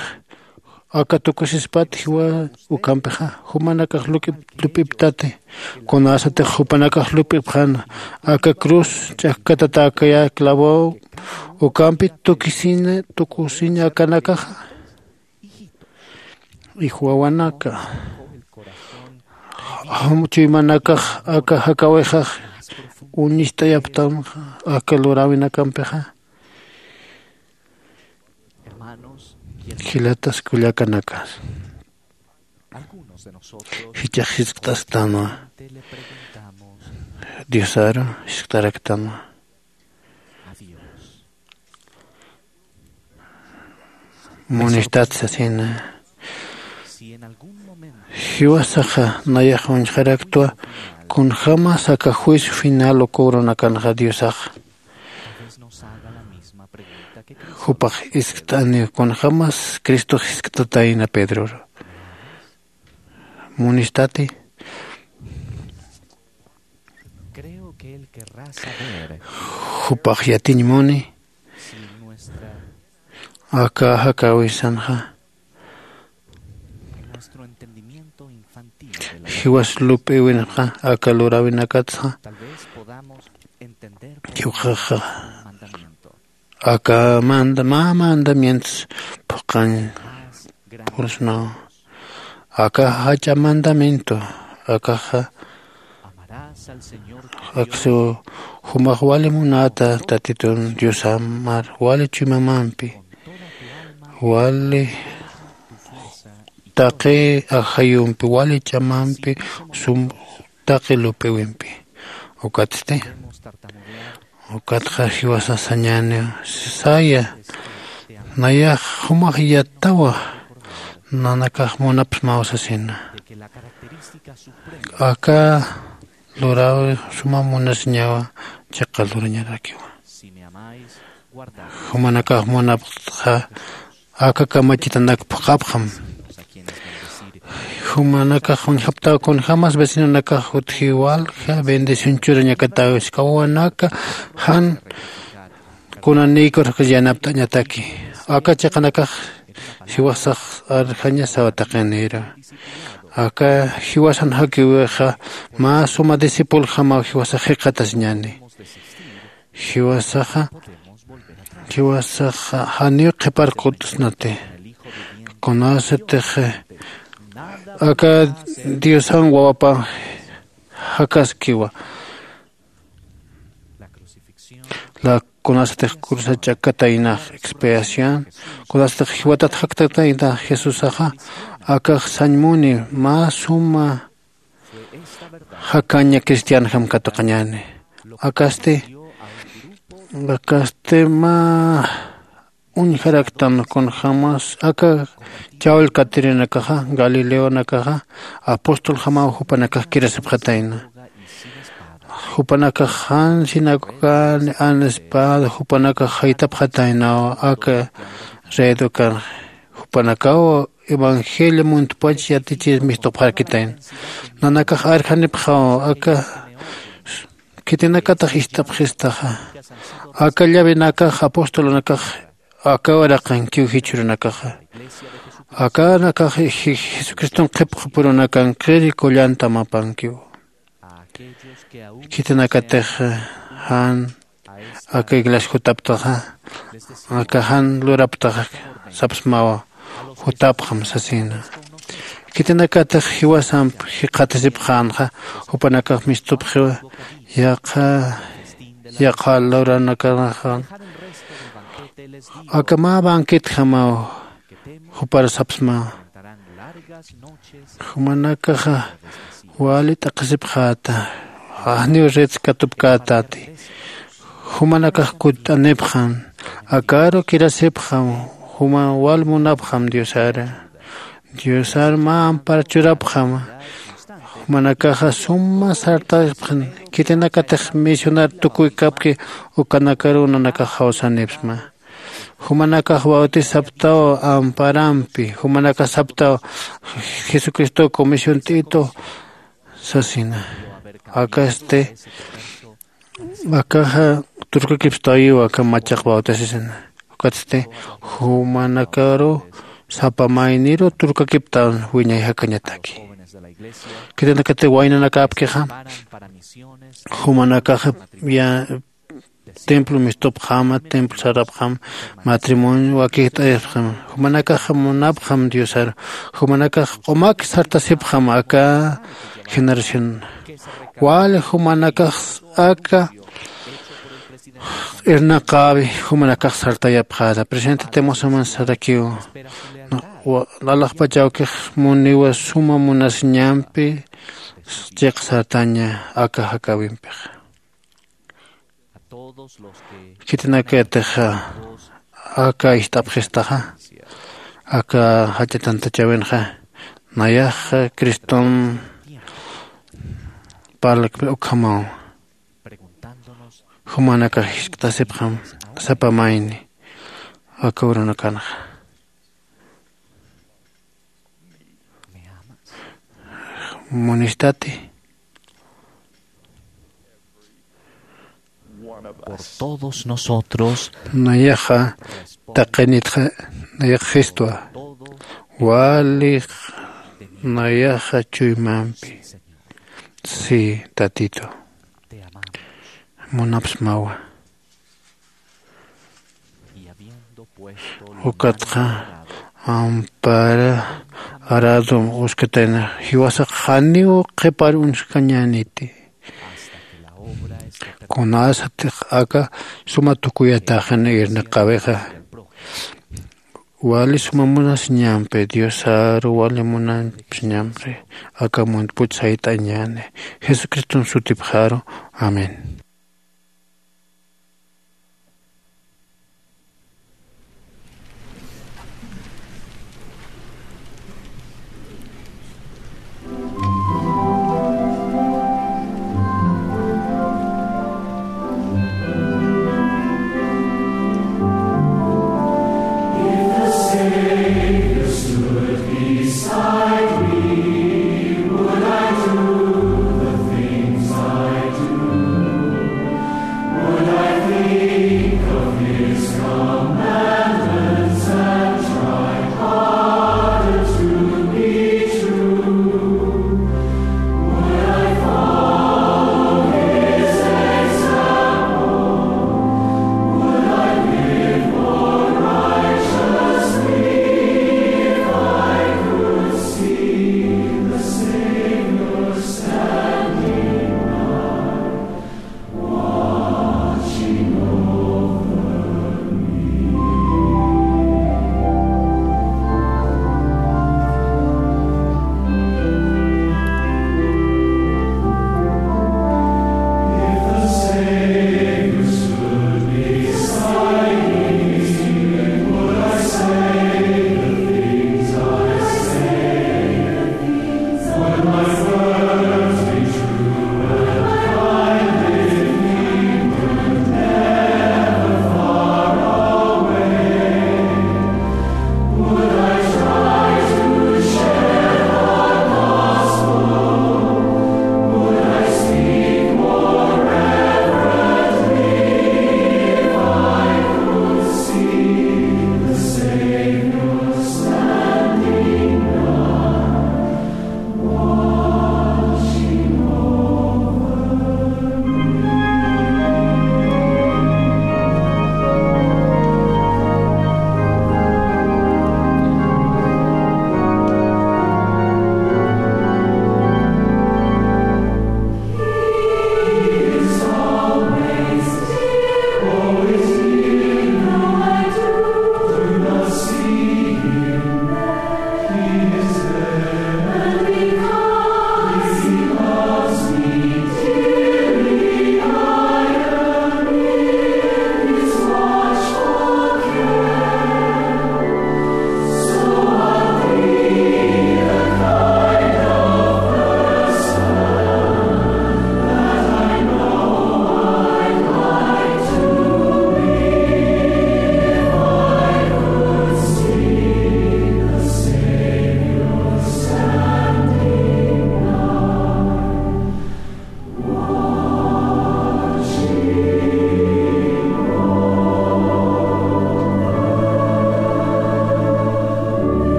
aka tukusispat jiwa ukampixa, jumanakax lup'ip- lup'iptati. Kunasatix jupanakax lup'ipxäna, aka cruz ch'akkatatäkaya clavo ukampi tukisina tukusiñakanakaxa. Ijwawanaka, jam- chuymanakax aka jakawixax uñist'ayaptanxa aka luräwinakampixa. Jilatas kullakanakas, jichhax jiskt'asktanwa, diosaru jiskt'araktanwa, munistat sasina. Jiwasaxa nayax uñjaraktwa, kunjämas aka juicio final uka urunakanxa diosaxa. Jupax jiskt'aniw, kunjämas cristox jisktatayna pedror, munistati? Jupax yatiñ muni aka jakäwisanxa, jiwas lup'iwinxa aka luräwinakatsa. Jiwxaxa aka manda mä mandamientos phuqhañ purusnaw. Aka jach'a mandamiento akaxa aksu jumax wali munata tatitun diosamar wali chuymamampi, wali taqi ajayumpi, wali ch'amampi, sum taqi lup'iwimpi. Ukatsti ukatxa jiwasa sañäniw saya, nayax jumax yattawa nanakax munapsmaw sasina. Aka luräwi suma munasiñawa, chiqa lurañarakiwa. Jumanakax munapxtxa aka kamachitanak phuqhapxam. Jumanakax uñjaptaw kunjämas vecinonakax utji walja bendición churañakatäwiskawanaka jan kunanïkur yanapt'añataki. Aka chiqanakax jiwasax arjañasaw taqinïru. Aka jiwasan jakiwixa mä suma discipuljamaw jiwasax jikxatasiñäni. Jiwasaxa jiwasaxa janiw qhipar qut'snati. Kunasatix aka diosan wawapan jakaskiwa, la kunasatix cruzar ch'akkataynax expiación, kunasatix jiwatat jaktataynax jesusaxa, akax sañ muni mä suma jakaña cristianjam katuqañäni. Akasti akasti mä uñjaraktan kunjämas aka chawll katirinakaxa, galileonakaxa, apostol jamaw jupanakax kirasipxatayna. Jupanakax jan sinagogan an espada jupanakax jaytapxataynaw aka redukan. Jupanakaw evangelio muntpach yatichir mistupxarkitayna. Nanakax arjanipxaw aka khitinakatax ist'apxistaxa. Aka llavenakax apostolunakax aka uraqankiw jichhürunakaxa. Akanakax jesucriston qhipqapurunakankiri kullantamapankiw. Khitinakatix jan aka iglesia jutaptaxa aka jan luraptaxa sapsmawa. Jutapxam sasina. Khitinakatix jiwasamp jikxatasipxänxa jupanakax mistupxiwa. Yaqha yaqha luranakanaxan aka mä banquetjamaw jupar sapsmawa. Jumanakaxa wali t'aqhisipxäta. Janiw ritskatupkätati. Jumanakax kutt'anipxam. Akaru kirasipxam. Juma wal munapxam diosara. Diosar mä ampar churapxam. Jumanakaxa suma sartapxam. Khitinakatix misionar tukuykapki ukanakaru nanakax jawsanipxam. Jumanakax bautisaptaw amparampi jumanakax saptaw jesucristo comisión t'itu sasina. Akasti akaxa turkakipstawiw aka machaq bautisasina. Ukatsti jumanakaru sapa mayniru turkakiptawan wiñay jakañataki. Khitinakati waynanakapkixa jumanakaxa ya templo mistupxama templo sarapxam matrimonio wakijt'ayapxam. Jumanakax munapxam diosar jumanakax q'umak sartasipxam aka generación wali jumanakax aka irnaqäwi jumanakax sartayapxäta presidente temosaman sarakiw. Alaxpachawkix muniwa suma munasiñampi chiq sartaña aka jakäwimpix. Khitinakatix aka ist'apxistaxa aka jach'a tantachäwinxa nayax criston parlakpi ukhamaw. Jumanakax jiskt'asipxam sapa mayni aka urunakanxa munistati. Por todos nosotros nayaxa taqinitxa nayax jistwa. Wali nayaxa chuymampi si tatitu munapsmawa. Ukatxa ampara aradum uskatayna jiwasax janiw qhipar uñskañäniti. Kunasatix aka suma tukuyataxin irnaqäwixa wali suma munasiñampi diosaru wali munasiñampi aka muntpuch sayt'añäni jesucriston sutipxaru. Amén.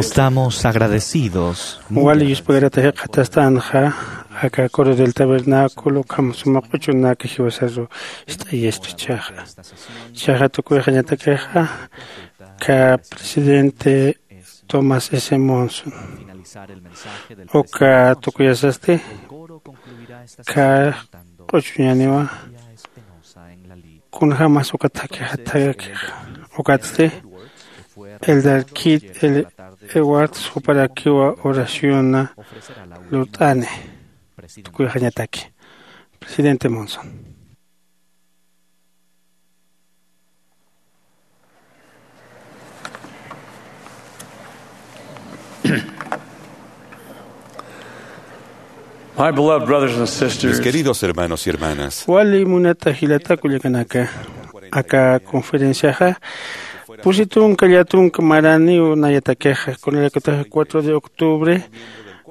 Estamos agradecidos. Wali yuspagarata jiqatastanxa aka coro del tabernáculo ukham suma q'uchunak jiwasaru ist'ayastchaxa. Chaxa tukuyxañatakixa ka presidente Thomas S Monson uka tukuyasasti ka q'uchuñaniwa. Kunjämas ukat jakixatayakix ukatsti el darkit el ewarts juparakiwa oraciona lurt'ani. Tukuyxañataki presidente Monson. Mis queridos hermanos y hermanas, wali munata jilata kullakanaka, aka conferenciaxa pusi tunka llatunka maraniw nayatakixa kunalakataxa cuatro de octubre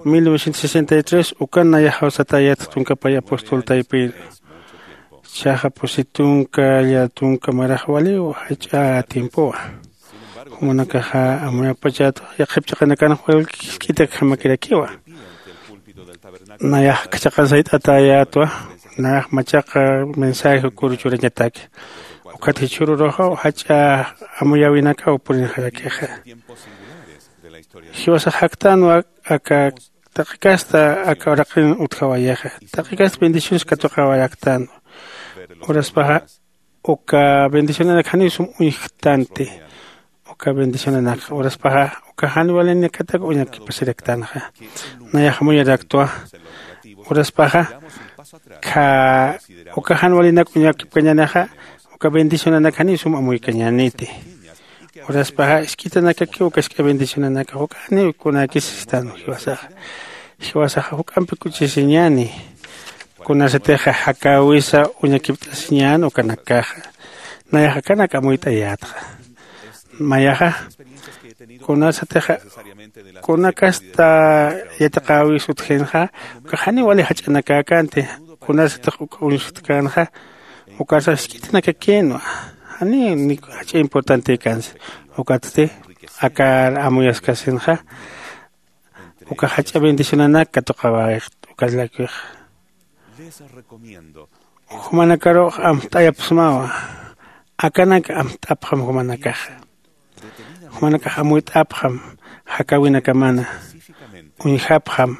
mil novecientos sesenta y tres ukan nayaxaw satayat tunkapay apostol taypir. Chaxa pusi tunka llatunka marax waliw jach'a tiempowa. Jumanakaxa amuyapachat yaqhip chaqanakanxa walk'isk'itakjamakirakiwa. Nayax kachaqan sayt'atayatwa. Nayax machaqa mensaje ukuru churañataki. Ukat jichhüruruxa jach'a amuyawinakaw purinxarakixa. Jiwasax jaktanwa aka taqi kasta aka uraqin utjawayixa. Taqi kasta bendiciones katuqawaraktan. Uraspaxa uka bendicionanak janiw sum uñjktanti. Uka bendicionanak uraspaxa uka jan walinakatak uñakipasiraktanxa. Nayax amuyaraktwa. Uraspaxa kha uka jan walinak uñakipkañänixa uka bendicionanak janiw sum amuykañäniti. Uraspaxa isk'itanakakiw uka isk'a bendicionanakax uka janiw kunäkis sistan jiwasaxa. Jiwasaxa juk'ampi kuchisiñäni. Kunasatixa jakäwisa uñakipt'asiñän ukanakaxa. Nayax akanak amuyt'ayätxa. Mayaxa kunasatixa kunakasta yatiqäwis utjinxa uka janiw wali jach'anakäkänti. Kunasatix uka uñstkänxa ukarsa jisk'itinakakïnwa. Janiw jach'a importantekansa. Ukatsti akar amuyaskasinxa uka jach'a bendicionanak katuqawayxt. Ukalakixa jumanakarux amt'ayapxsmawa. Akanak amt'apxam jumanakaxa. Jumanakax amuyt'apxam jakäwinakamana. Uñjapxam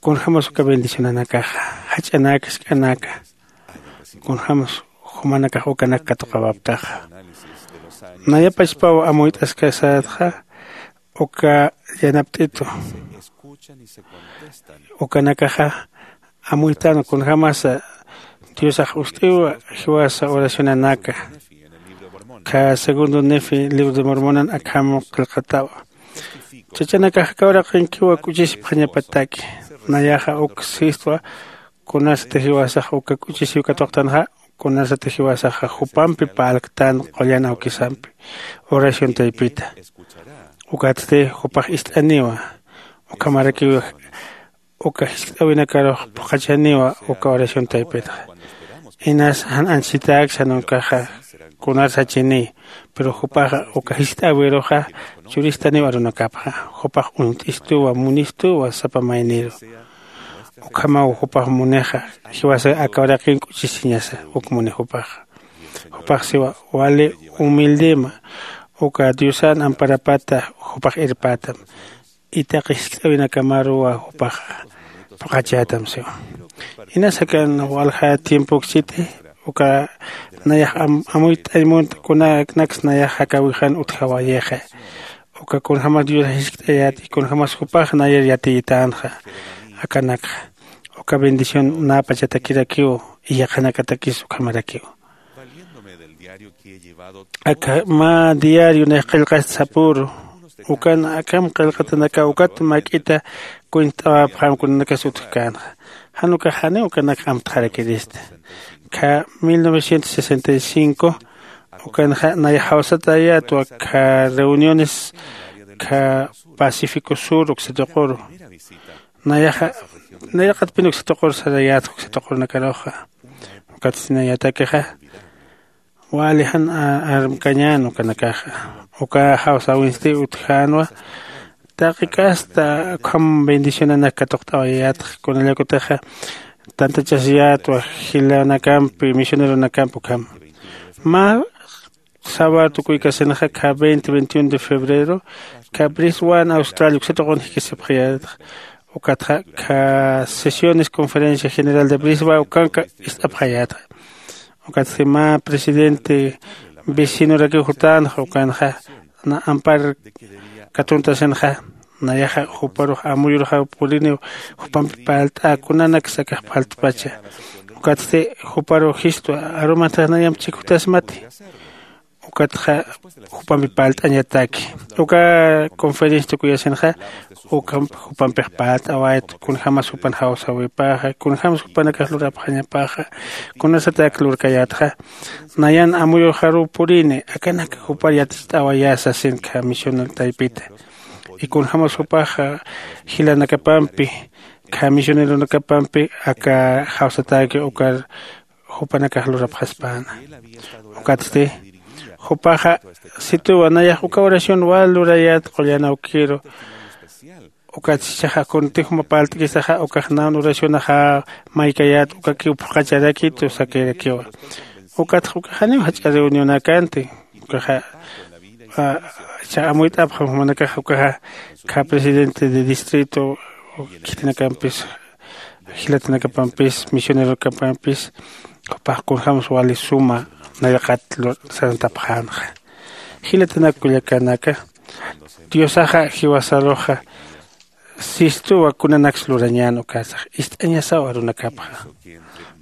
kunjämas uka bendicionanakaxa jach'anaka jisk'anaka. Kunjämas jumanakax ukanak katuqawaptaxa. Nayapachpaw amuyt'askasatxa uka yanapt'itu ukanakaxa amuytan kunjämasa diosax ust'iwa jiwasa oracionanaka. Kha segundo nefi libro de mormonan akham qillqatawa. Chachanakax aka uraqinkiwa k'uchisipxañapataki. Nayaxa uk sistwa kunasati jiwasax uka k'uchisiw katuqtanxa kunasati jiwasaxa jupampi parlktan qullan awkisampi oración taypita. Ukatsti jupax ist'aniwa. Ukhamarakiw uka jiskt'äwinakarux phuqhachaniwa uka oración taypitxa. Inas jan anchhitäksa jan ukaxa kunar sachini. Pero jupaxa uka jiskt'äwiruxa churistaniw arunakapxa. Jupax uñt'istuwa munistuwa sapa mayniru. Ukhamaw jupax munixa jiwasa aka uraqin k'uchisiñasa uk muni jupaxa. Jupax siwa wali humildema uka diosan amparapata jupax irpätam. Itaqi jiskt'äwinakamaruwa jupaxa phuqhachätam siwa. Inas akan walja tiempoksiti uka nayax amuyt'añ munt kunanaks nayax jakäwixan utjawayixa. Uka kunjämas dios jiskt'ayät y kunjämas jupax nayar yatiyitänxa. Akanakxa uka bendición näpachatakirakiw y yaqhanakatakis ukhamarakiw. Aka mä diario nayax qillqast sapüru ukan akham qillqatanakaw ukat mäk'ita kuñt'awapxam kunanakas utjkänxa. Jan ukax janiw ukanak amtxarakirista. Kha mil novecientos sesenta y cinco ukanxa nayax jawsatayätwa kha reuniones kha pacífico sur uksatuquru. Nayaxa nayraqatpin uksatuqur sarayät uksatuqurnakaruxa. Ukatsti nayatakixa Wali jan armkañän ukanakaxa. Uka jawsäwinsti utjänwa. Taqi kasta ukham bendicionanak katuqt'awayätxa kunallakutixa tantachasiyätwa jilanakampi misioneronakampi ukham. Mä sabar tukuykasinxa kha veinte veintiuno de febrero kha briswan australia uksatuqun jikisipxayätxa. Ukatxa kha sesiones conferencia general de briswa ukanka ist'apxayätxa. Ukatsti mä presidente vecinurakiw jutänxa ukanxa na ampar katuntasinxa. Nayaxa juparux amuyurxaw puriniw jupampi parlt'a kunanaksa akax parlt'pacha. Ukatsti juparux jistwa arumantax nayamp chikjutasmati. Ukatxa jupampi parlt'añataki uka conferencia tukuyasinxa. Ukamp jupampix parlt'awayt kunjämas jupan jawsäwipaxa kunjämas jupanakax lurapxañapaxa. Kunasatak lurkayätxa nayan amuyuxaruw purini akanak jupar yaticht'awayä sasin kha misionero taypita. Y kunjämas jupaxa jilanakapampi kha misioneronakapampi aka jawsatäki ukar jupanakax lurapxaspäna. Ukatsti jupaxa situwa nayax uka oración wal lurayät qullan awkiru. Ukatsti jichhaxa kunti juma parlt'kistaxa ukax nan oracionaxa maykayät ukakiw phuqhacharakitu sakirakiwa. Ukatxa ukax janiw jach'a reunionakanti. Ukaxa jichhax amuyt'apxam jumanakaxa ukaxa kha presidente de distrito khithinakampis jilatanakapampis misionerokapampis jupax kunjämsa wali suma nayraqat sarantapxänxa. Jilatanak kullakanaka diosaxa jiwasaruxa sistuwa kunanaksa lurañän ukasax ist'añasaw arunakapxa.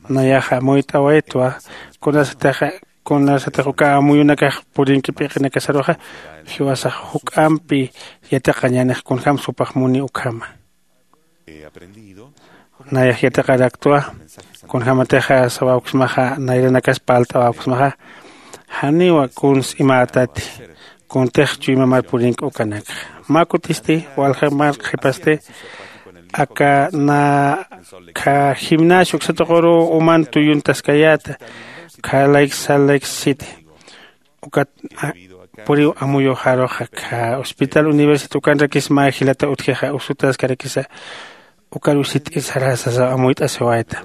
Nayaxa amuyt'awaytwa kunasatixa kunasatix uka amuyunakax purinki p'iqinakasaruxa jiwasax juk'ampi yatiqañänix kunjämsa jupax muni ukhama. Nayax yatiqaraktwa kunjämatixa sawawksmaxa nayranakas parlt'awawksmaxa janiwa kuns imätati kuntix chuymamar purinki ukanakxa. Mä kutisti walja mar qhipasti aka na kha gimnasio uksatuquruw uman tuyuntaskayäta kha layk sal layk siti. Ukat puriw amuyuxaruxa kha hospital universidad ukanrakis mä jilata utjixa usutaskarakisa. Ukar usit'ir sarasa sasaw amuyt'asiwayta.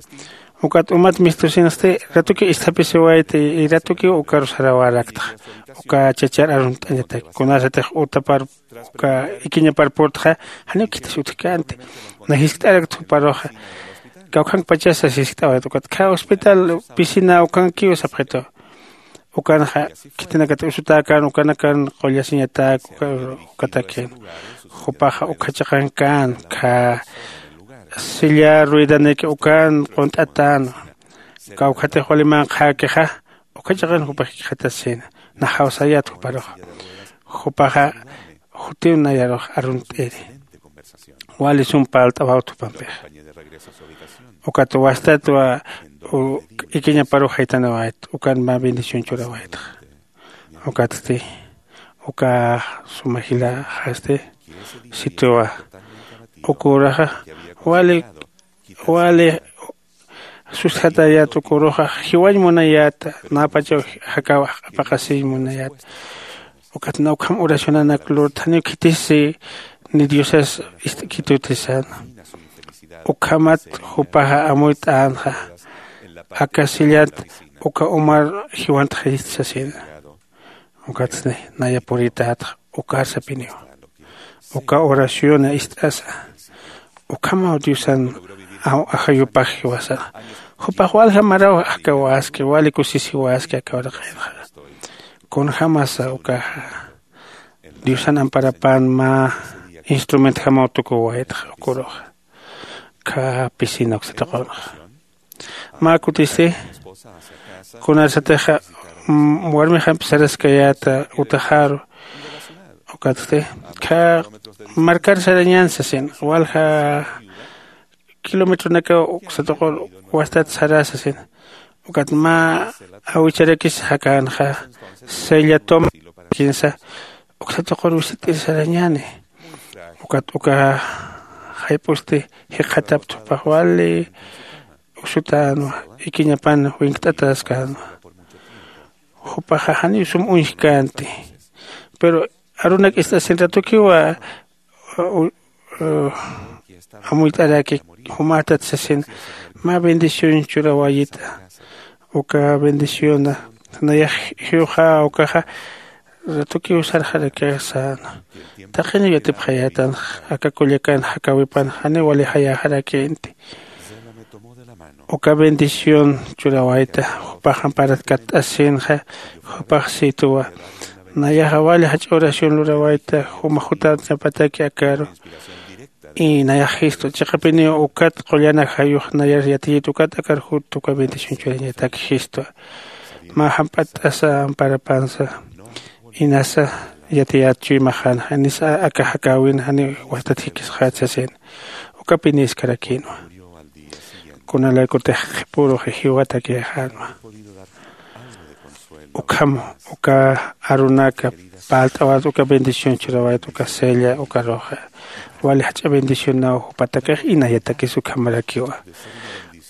Ukat umat mistusinsti ratukiw isthapisiwayta y ratukiw ukaru sarawaraktxa. Uka chachar arunt'añataki kunasatix utapar uka ikiñapar purtxa janiw khitis utjkänti. Na jiskt'arakt juparuxa kawkhankpachasa jiskt'awayta ukat kha hospital piscina ukankiw sapxitu. Ukanxa khitinakat usutäkän ukanakan qullasiñatäk ukatakin. Jupaxa ukha chiqankän kha silla ruedanaki ukan qunt'atänwa. Kawkhatix wali manqhäkixa ukha chiqan jupax jikxatasina. Naxaw sayät juparux jupaxa jutiw nayarux arunt'iri. Wali sum parlt'awawt jupampixa. Ukat wastatwa ikiñaparux jaytanawayt ukan mä bendición churawaytxa. Ukatsti uka suma jilaxasti situwa. Uka uraxa wali wali sustjatayät uka uruxa jiwañ munayäta. Napachaw jakaw apaqasiñ munayäta. Ukat na ukham oracionanak lurtaniw khitisi ni diosas ist'kitutisan. Ukhamat jupaxa amuyt'änxa aka sillat uka umar jiwantxayist sasina. Ukatsni naya puritätxa ukar sapiniwa. Uka oraciona ist'asa ukhamaw diosan ajayupax jiwasana. Jupax walja maraw akawaski wali kusisiwaski aka uraqinxa. Kunjämasa ukaxa diosan amparapan mä instrumentjamaw tukuwaytxa uka uruxa. Kha piscina uksataqunxa mä kutisti kunarsatixa warmixampi saraskayäta utaxaru. Ukatsti kha markar sarañän sasin walja kilometronakaw uksatuqur wastat sara sasin. Ukat mä awicharakis jakänxa sella toma kinsa uksatuqur wisit'ir sarañäni. Ukat uka jayp'usti jikxataptxpax wali usutänwa ikiñapan winkt'ataskänwa. Jupaxa janiw sum uñjkänti. Pero arunak ist'asin ratukiwa amuyt'araki jumatat sasin. Mä bendición churawayita. Uka bendiciona nayax jiwxa ukaxa ratukiw sarxarakix säna. Taqiniw yatipxayätanx aka kullakan jakäwipan janiw wali jayäxarakïnti. Uka bendición churawayta jupax amparat katt'asïnxa. Jupax sïtuwa nayaxa wali jach'a oración lurawayta juma jutänapataki akaru. Y nayax jistu chiqapiniw ukat qullanak jayux nayar yatiyit ukat akar jutta uka bendición churañatak jistwa. Mä jamp'att'asa amparapansa inasa yatiyät chuymaxänxa inasa aka jakäwin janiw wastat jikisxät sasin. Ukapinïskarakïnwa kunalaykutix qhipürux jiwatakïxänwa. Ukham uka arunaka parlt'awayt uka bendición churawayt uka sella ukaruxa wali jach'a bendicionaw jupatakix inayatakis ukhamarakiwa.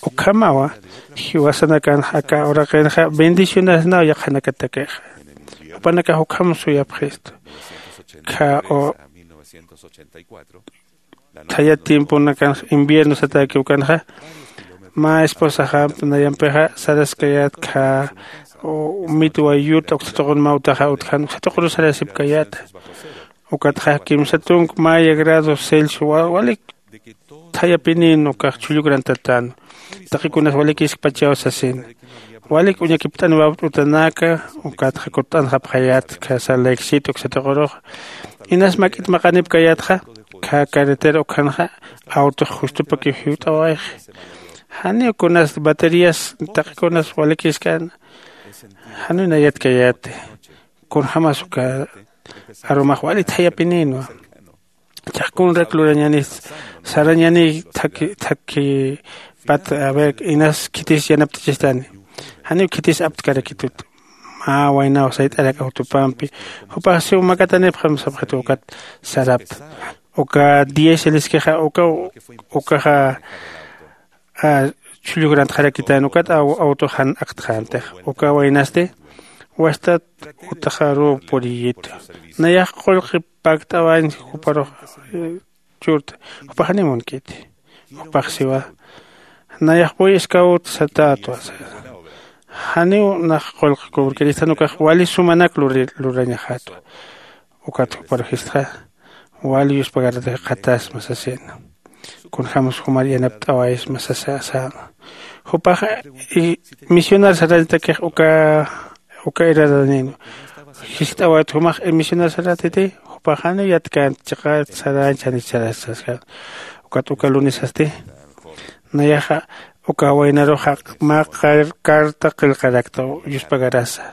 Ukhamawa jiwasanakanxa aka uraqinxa bendicionasnaw yaqhanakatakixa. Jupanakax ukham suyapxistu. Kha thaya tiemponakanxa invierno satäki ukanxa mä esposaxamp nayampixa saraskayät kha mitwa yut uksa tuqun mä utaxa utjan uksa tuquru sarasipkayäta. Ukatxa kimsa tunk maya grado celcio walik thayapinïn ukax chhullukrantatän. Taqikunas walikiskpachaw sasin walik uñakipt'aniwapt'utanaka. Ukatxa kutt'anxapxayät kha sal lake city uksa tuqurux inas mak'it maqanipkayätxa. Kha carretera ukhanxa awtux justupakiw jiwt'awayxi. Janiw kunas baterías taqikunas walikiskan. Janiw nayatkayäti kunjämas uka arumax wali thayapinïnwa. Chaqkunrak lurañanix sarañanix thaki pat a ver inas khitis yanapt'achistani. Janiw khitis aptkarakitut mä waynaw sayt'arak awtupampi. Jupax siw makatanipxam sapxitu ukat sarapta uka diez eliskixa ukaw ukaxa chhulluk rantxarakitän ukat awtux jan aktxäntix. Uka waynasti wastat utaxaruw puriyitu. Nayax qullqi pakt'awañ juparux churta. Jupax janiw munkiti. Jupax siwa nayax buy iskawt satätwa. Janiw nax qullqi kubrkiristhan ukax wali sumanak lurañaxätwa. Ukat juparux jistxa wali yuspagaratix qhatasma sasina. Kunjämas jumar yanapt'awaysma sasa säna. Jupax misionar sarañatakix uka uka iraranin jist'awayt jumax misionar saratiti. Jupax janiw yatkänti chiqat sarañ chanich sarasaskan. Ukat uka lunisasti nayaxa uka waynaruxa mä carta qillqarakta yuspagarasa.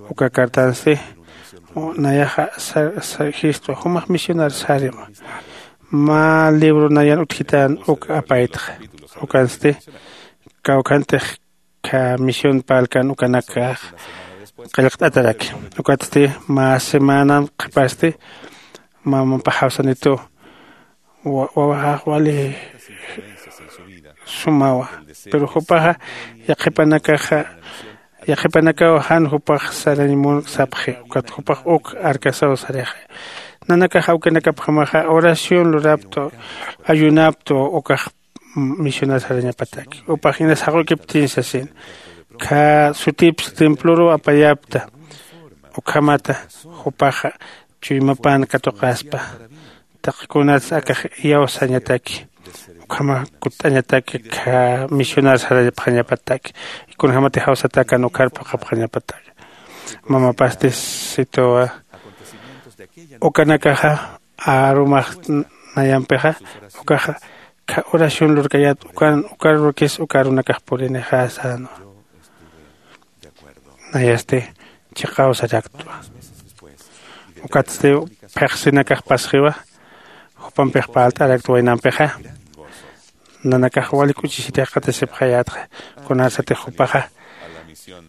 Uka cartansti nayaxa jistwa jumax misionar sarima. Mä libro nayan utjitän uk apaytxa. Ukansti kawkhantix kha misión parlkan ukanakax qillqt'ataraki. Ukatsti mä semanan qhipasti mamapaxaw sanitu wawaxax wali sumawa. Pero jupaxa yaqhipanakaxa yaqhipanakaw jan jupax sarañ mun sapxi. Ukat jupax uk arkasaw sarixi. Nanakax awkinakapjamaxa oración luraptu ayunaptu ukax misionar sarañapataki. Upax inas jaqukiptin sasin kha sutips temploruw apayapta. Ukhamata jupaxa chuymapan katuqaspa. Taqi kunats akax iyawsañataki ukhama kutt'añataki kha misionar sarañapxañapataki. Kunjämatix jawsatäkan ukhar phuqhapxañapataki. Mamapasti situwa ukanakaxa arumax nayampixa ukaxa kha oración lurkayät ukan ukar lurkis uka arunakax purinixä sänwa. Nayasti chiqaw saraktwa. Ukatsti pheqsinakax pasxiwa jupampix parlt'arakt waynampixa. Nanakax wali k'uchisitix qatasipxayätxa. Kunarsatix jupaxa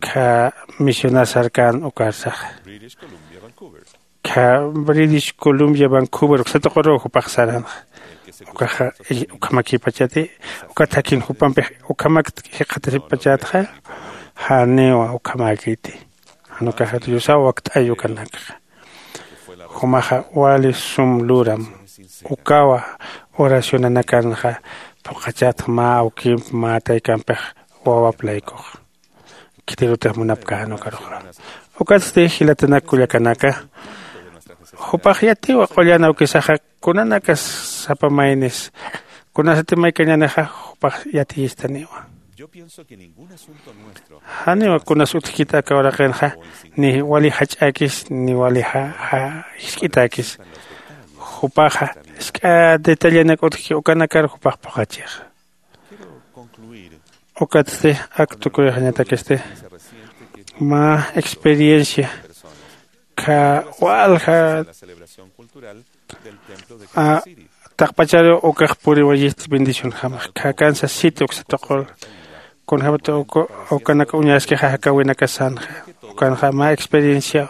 kha misionar sarkän ukarsaxa kha british columbia vancouver uksatuquru jupax saranxa. Ukaxa ukhamakipachati ukat jakin jupampix ukhamakta jikxatasipachätxa. Janiwa ukhamäkiti. Jan ukaxa diosaw wakt'ay ukanakxa. Jumaxa wali sum luram. Ukawa oracionanakanxa phuqhachatx mä awkimp mä taykampix wawap laykux. Khitirutix munapkän ukaruxa. Ukatsti jilatanak kullakanaka, jupax yatiwa qullan awkisaxa kunanakas sapa maynis kunasati maykañänixa jupax yatiyistaniwa. Janiwa kunas utjkit aka uraqinxa ni wali jach'äkis ni wali jisk'itäkis. Jupaxa jisk'a detallenak utjki ukanakar jupax phuqhachixa. Ukatsti ak tukuyxañatakisti mä experiencia kha walja taqpachariw ukax puriwayist bendicionjamax khakansa siti uksa tuqul. Kunjämat ukanak uñaskixa jakäwinakasanxa ukanxa mä experienciaw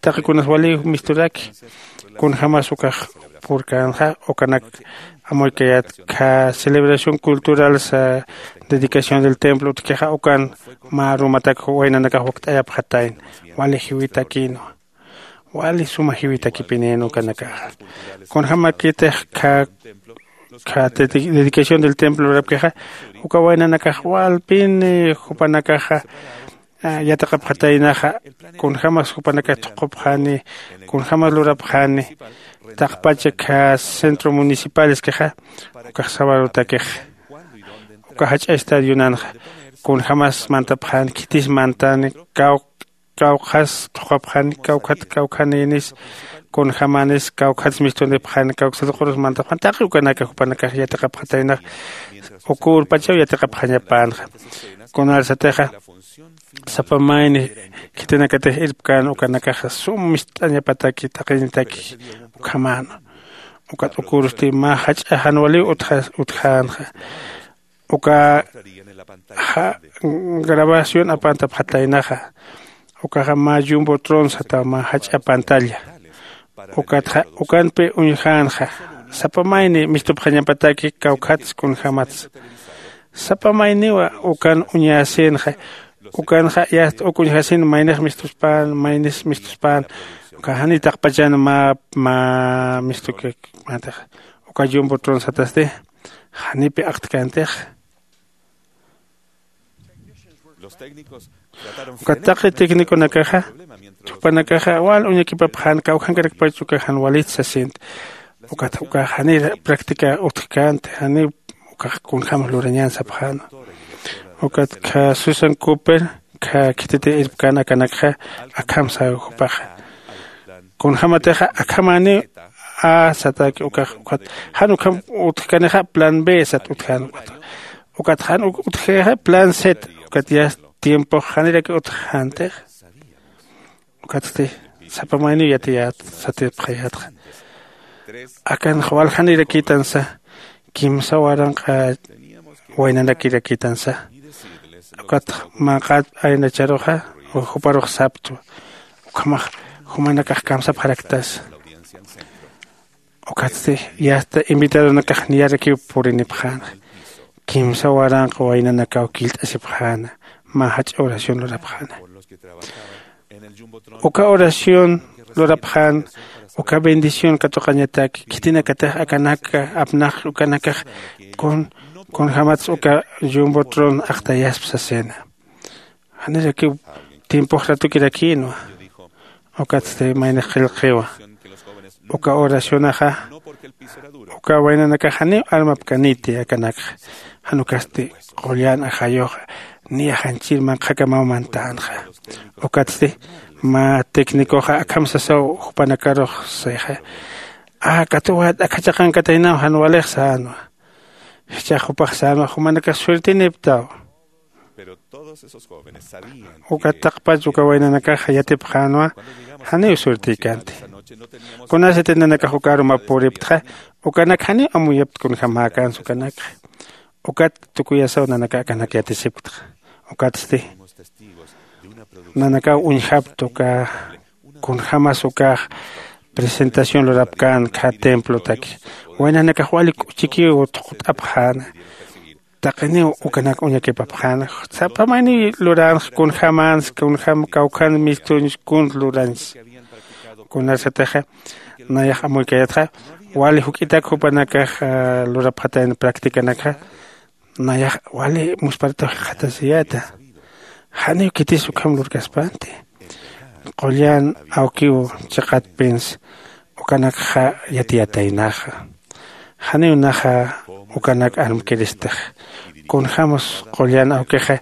taqi kunas waliw misturaki. Kunjämas ukax purkänxa ukanak amuykayät kha celebración cultural sa dedicación del templo utjkixa ukan mä arumatak waynanakax wakt'ayapxatayna. Wali jiwitakïnwa. Wali suma jiwitakipinïn ukanakaxa. Kunjämakitix kha dedicación del templo lurapkixa uka waynanakax walpin jupanakaxa yatiqapxataynaxa. Kunjämas jupanakax thuqhupxani kunjämas lurapxani taqpacha kha centro municipaleskixa ukax sawarutakix uka jach'a estadionanxa kunjämas mantapxani khitis mantani kawk kawkhas thuqhapxani kawkhat kawkhanïnis kunjämanis kawkhats mistunipxani kawksatuqurus mantapxani taqi ukanaka jupanakax yatiqapxataynax. Uka urpachaw yatiqapxañapänxa kunalsatixa sapa mayni khitinakatix irpkän ukanakaxa sum mist'añapataki t'aqinitaki ukhamäna. Ukat uka urusti mä jach'a jan waliw utjänxa uka grabación apantapxataynaxa. Ukaxa mä yumbotron sataw mä jach'a pantalla. Ukatxa ukanpi uñjänxa sapa mayni mistupxañapataki kawkhats kunjämats. Sapa mayniwa ukan uñasinxa ukanxa yast uk uñjasin maynix mistuspän maynis mistuspän. Uka jani taqpachan mä mä mistukik mantix uka yumbotron satasti janipi aktkäntix. Ukat taqi técniconakaxa jupanakaxa wal uñakipapxän kawkhankarakpach uka jan walit sasint. Ukat ukax janir practica utjkänti janiw ukax kunjämas lurañän sapxäna. Ukat kha susan cooper kha khititi irpkän akanakxa akham saw jupaxa kunjämatixa akhamäniw a sataki ukax ukat jan ukham utjkanixa plan b sat utjän ukat. Ukat jan utjixa plan z ukat yast tiempox janiraki utjxäntix. Ukatsti sapa mayniw yatiyät satipxayätxa. Akanx waljanirakïtansa kimsa waranqa waynanakirakitansa. Ukat manqat aynacharuxa juparux saptwa ukhamax jumanakax kamsapxaraktasa. Ukatsti yasta invitadonakax niyarakiw purinipxäna kimsa waranqa waynanakaw killt'asipxäna mä jach'a oración lurapxäna. Uka oración lurapxän uka bendición katuqañataki khitinakatix akanaka apnaqki ukanakax kunjämats uka yumbotron aqtayaspa sasina. Janirakiw tiempox ratukirakïnwa. Ukatsti maynix qillqiwa uka oracionaxa uka waynanakax janiw armapkaniti akanakxa. Jan ukasti qullan ajayuxa niya janchir manqhakamaw mantänxa. Ukatsti mä técnicoxa akham sasaw jupanakarux sixa a katuwayat akha chaqankataynaw jan walix sänwa. Jichhax jupax sänwa jumanakax suerteniptaw. Ukat taqpach uka waynanakaxa yatipxänwa janiw suertïkänti. Kunasati nanakax uka arumap puriptxa ukanak janiw amuyapti kunjämäkänsa ukanakxa. Ukat tukuyasaw nanaka akanak yatisipktxa. Ukatsti nanakaw uñjapkta uka kunjämas ukax presentación lurapkän kha templotaki. Waynanakax wali k'uchikiw thuqt'apxäna. taqiniw ukanak uñakipapxän. Sapa mayniw luranx kunjämänsa kunjäm kawkhan mistuñs kun luransa. Kunarsatixa nayax amuykayatxa wali juk'itak jupanakax lurapxatayna practicanakxa nayax wali musparataw jikxatasiyäta. Janiw khitis ukham lurkaspanti qullan awkiw chiqatpins ukanakxa yatiyataynaxa. Janiw naxa ukanak armkiristix kunjämus qullan awkixa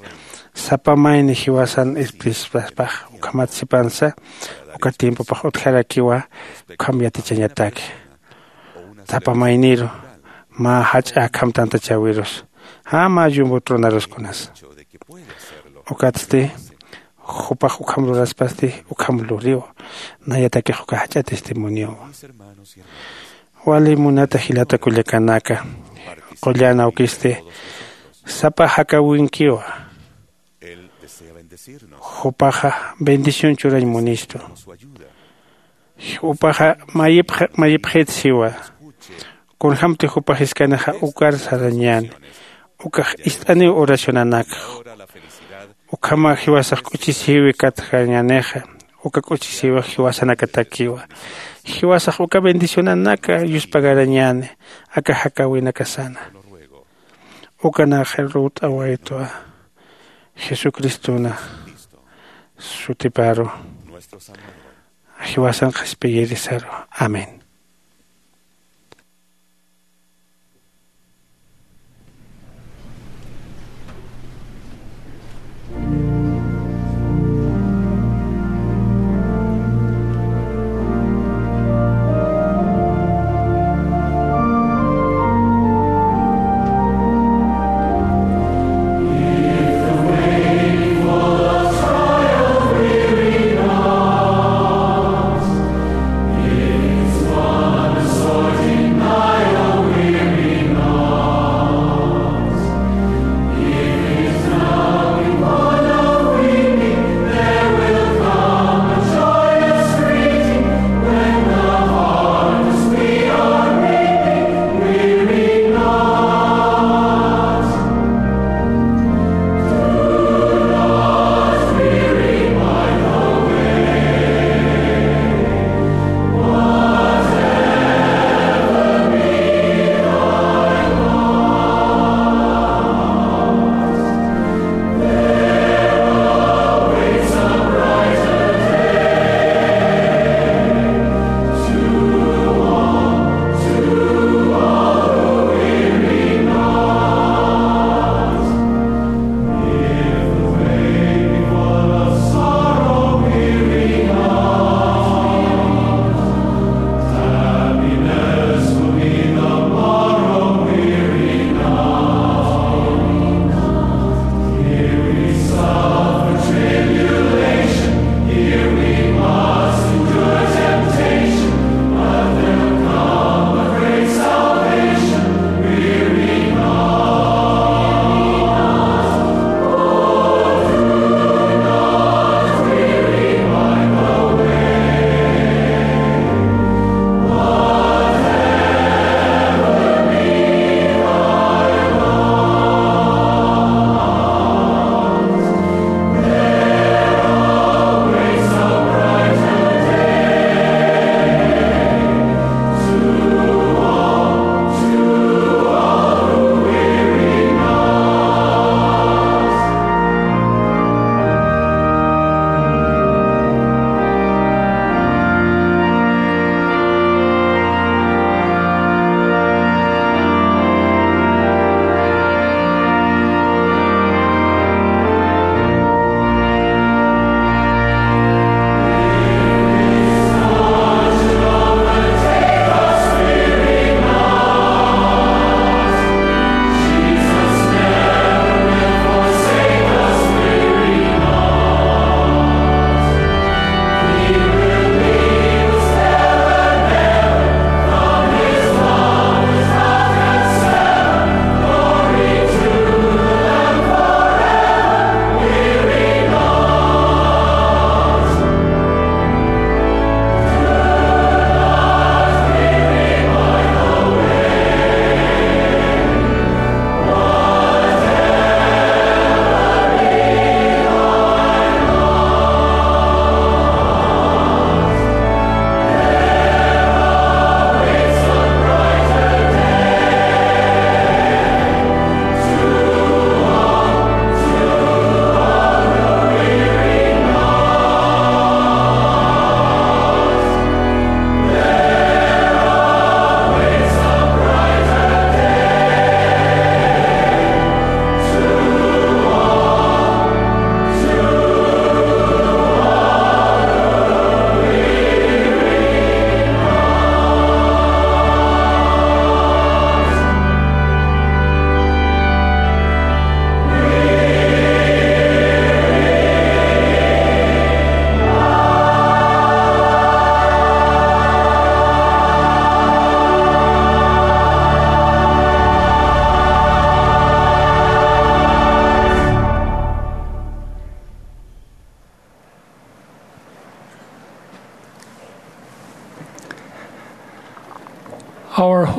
sapa mayni jiwasan ispispaspax ukhamat sipansa uka tiempopax utjarakiwa. Ukham yatichañataki sapa mayniru mä jach'a akham tantachäwirus jä mä llumbu tronarus kunasa. Ukatsti jupax ukham luraspasti ukham luriw. Nayatakix uka jach'a testimoniowa. Wali munata jilata kullakanaka qullan awkisti sapa jakäwinkiwa. Jupaxa bendición churañ munistu. Jupaxa mayipxit siwa. Kunjämti jupa jiskanixa ukar sarañäni ukax ist'aniw oracionanakxa. Ukhamax jiwasax k'uchisïwi katjañänixa uka k'uchisïwix jiwasanakatakiwa. Jiwasax uka bendicionanaka yuspagarañäni aka jakäwinakasana. Ukanakax lurt'awaytwa jesucristona sutiparu jiwasan qhispiyirisaru. Amén.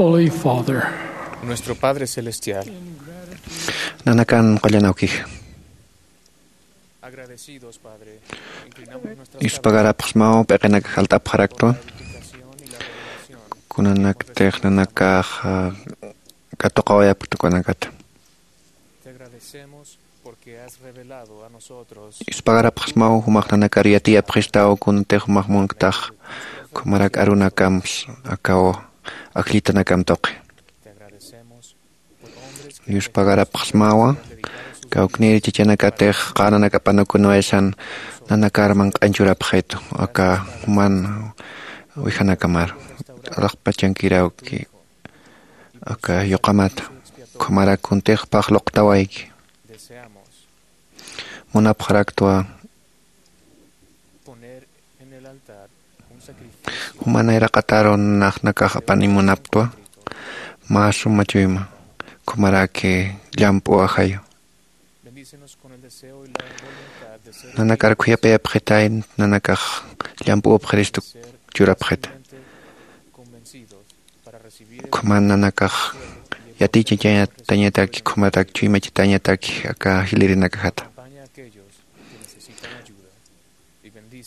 Holy Father. Nuestro Padre Celestial. Nanakan qullan awkix. Agradecidos, Padre. Inclinamos nuestras Yuspagarapxsmaw p'iqinakax alt'apxaraktwa. Kunanaktix nanakax katuqawayapkta kunanakata. Te agradecemos porque has revelado a nosotros. Yuspagarapxsmaw jumax nanakar yatiyapxistaw kunatix jumax munktax. Khumarak arunakamps akaw akllitanakamtuqi. Te agradecemos. Yuspagarapxsmawa kawknir chachanakatix qananakapanukunwayasan nanakar manq'añchurapxitu aka juman wijanakamaru. Alaxpachankirawki aka yuqamata. Khumarak kuntixpax luqtawayki. Munapxaraktwa. Jumanay raqataru naxnakax apani munaptwa. Mä suma chuyma khumaraki llamp'u ajayu. Nanakar khuyapayapxitay nanakax llamp'u upxiristu churapxita. Khuman nanakax yatichatañataki khumatak chuymachatañataki aka jilirinakajata.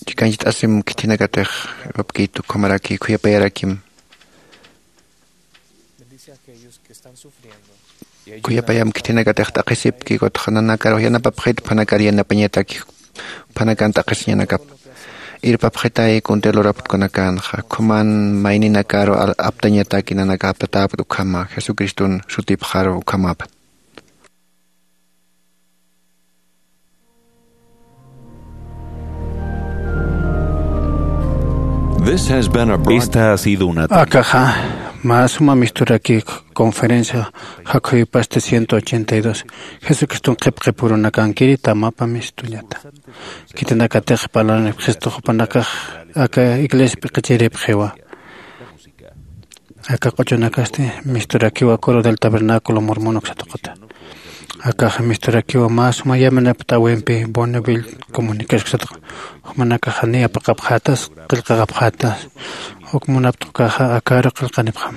Chikanchit'asim khithinakatix apkitu khumaraki khuyapayarakim. Khuyapayam khithinakatix t'aqhisipki kutxa nanakar yanapapxit phanakar yanapañataki phanakan t'aqhisiñanakap. Irpapxitay kuntir luraptkunakanxa khuman mayninakaru aptañataki nanaka aptatäpt ukhama jesucriston sutipxaru ukhamapat. This has been a broad- Esta ha sido una Akaxa mä suma misturaki conferencia jakhuypasti ciento ochenta y dos. Jesucriston qhipqipurunakankiri tamapa mistullata. Khitinakatix parlanipxistu jupanakax aka iglesia p'iqichiripxiwa. Aka q'uchunakasti misturakiwa coro del tabernáculo mormón uksatuquta. Akaxa misturakiwa mä suma yaminapt'awimpi bonneville comunicash uksatuqa. Jumanakaxa ni apaqapxatas qillqaqapxatas. Uk munapt'ukaxa akaru qillqanipxam.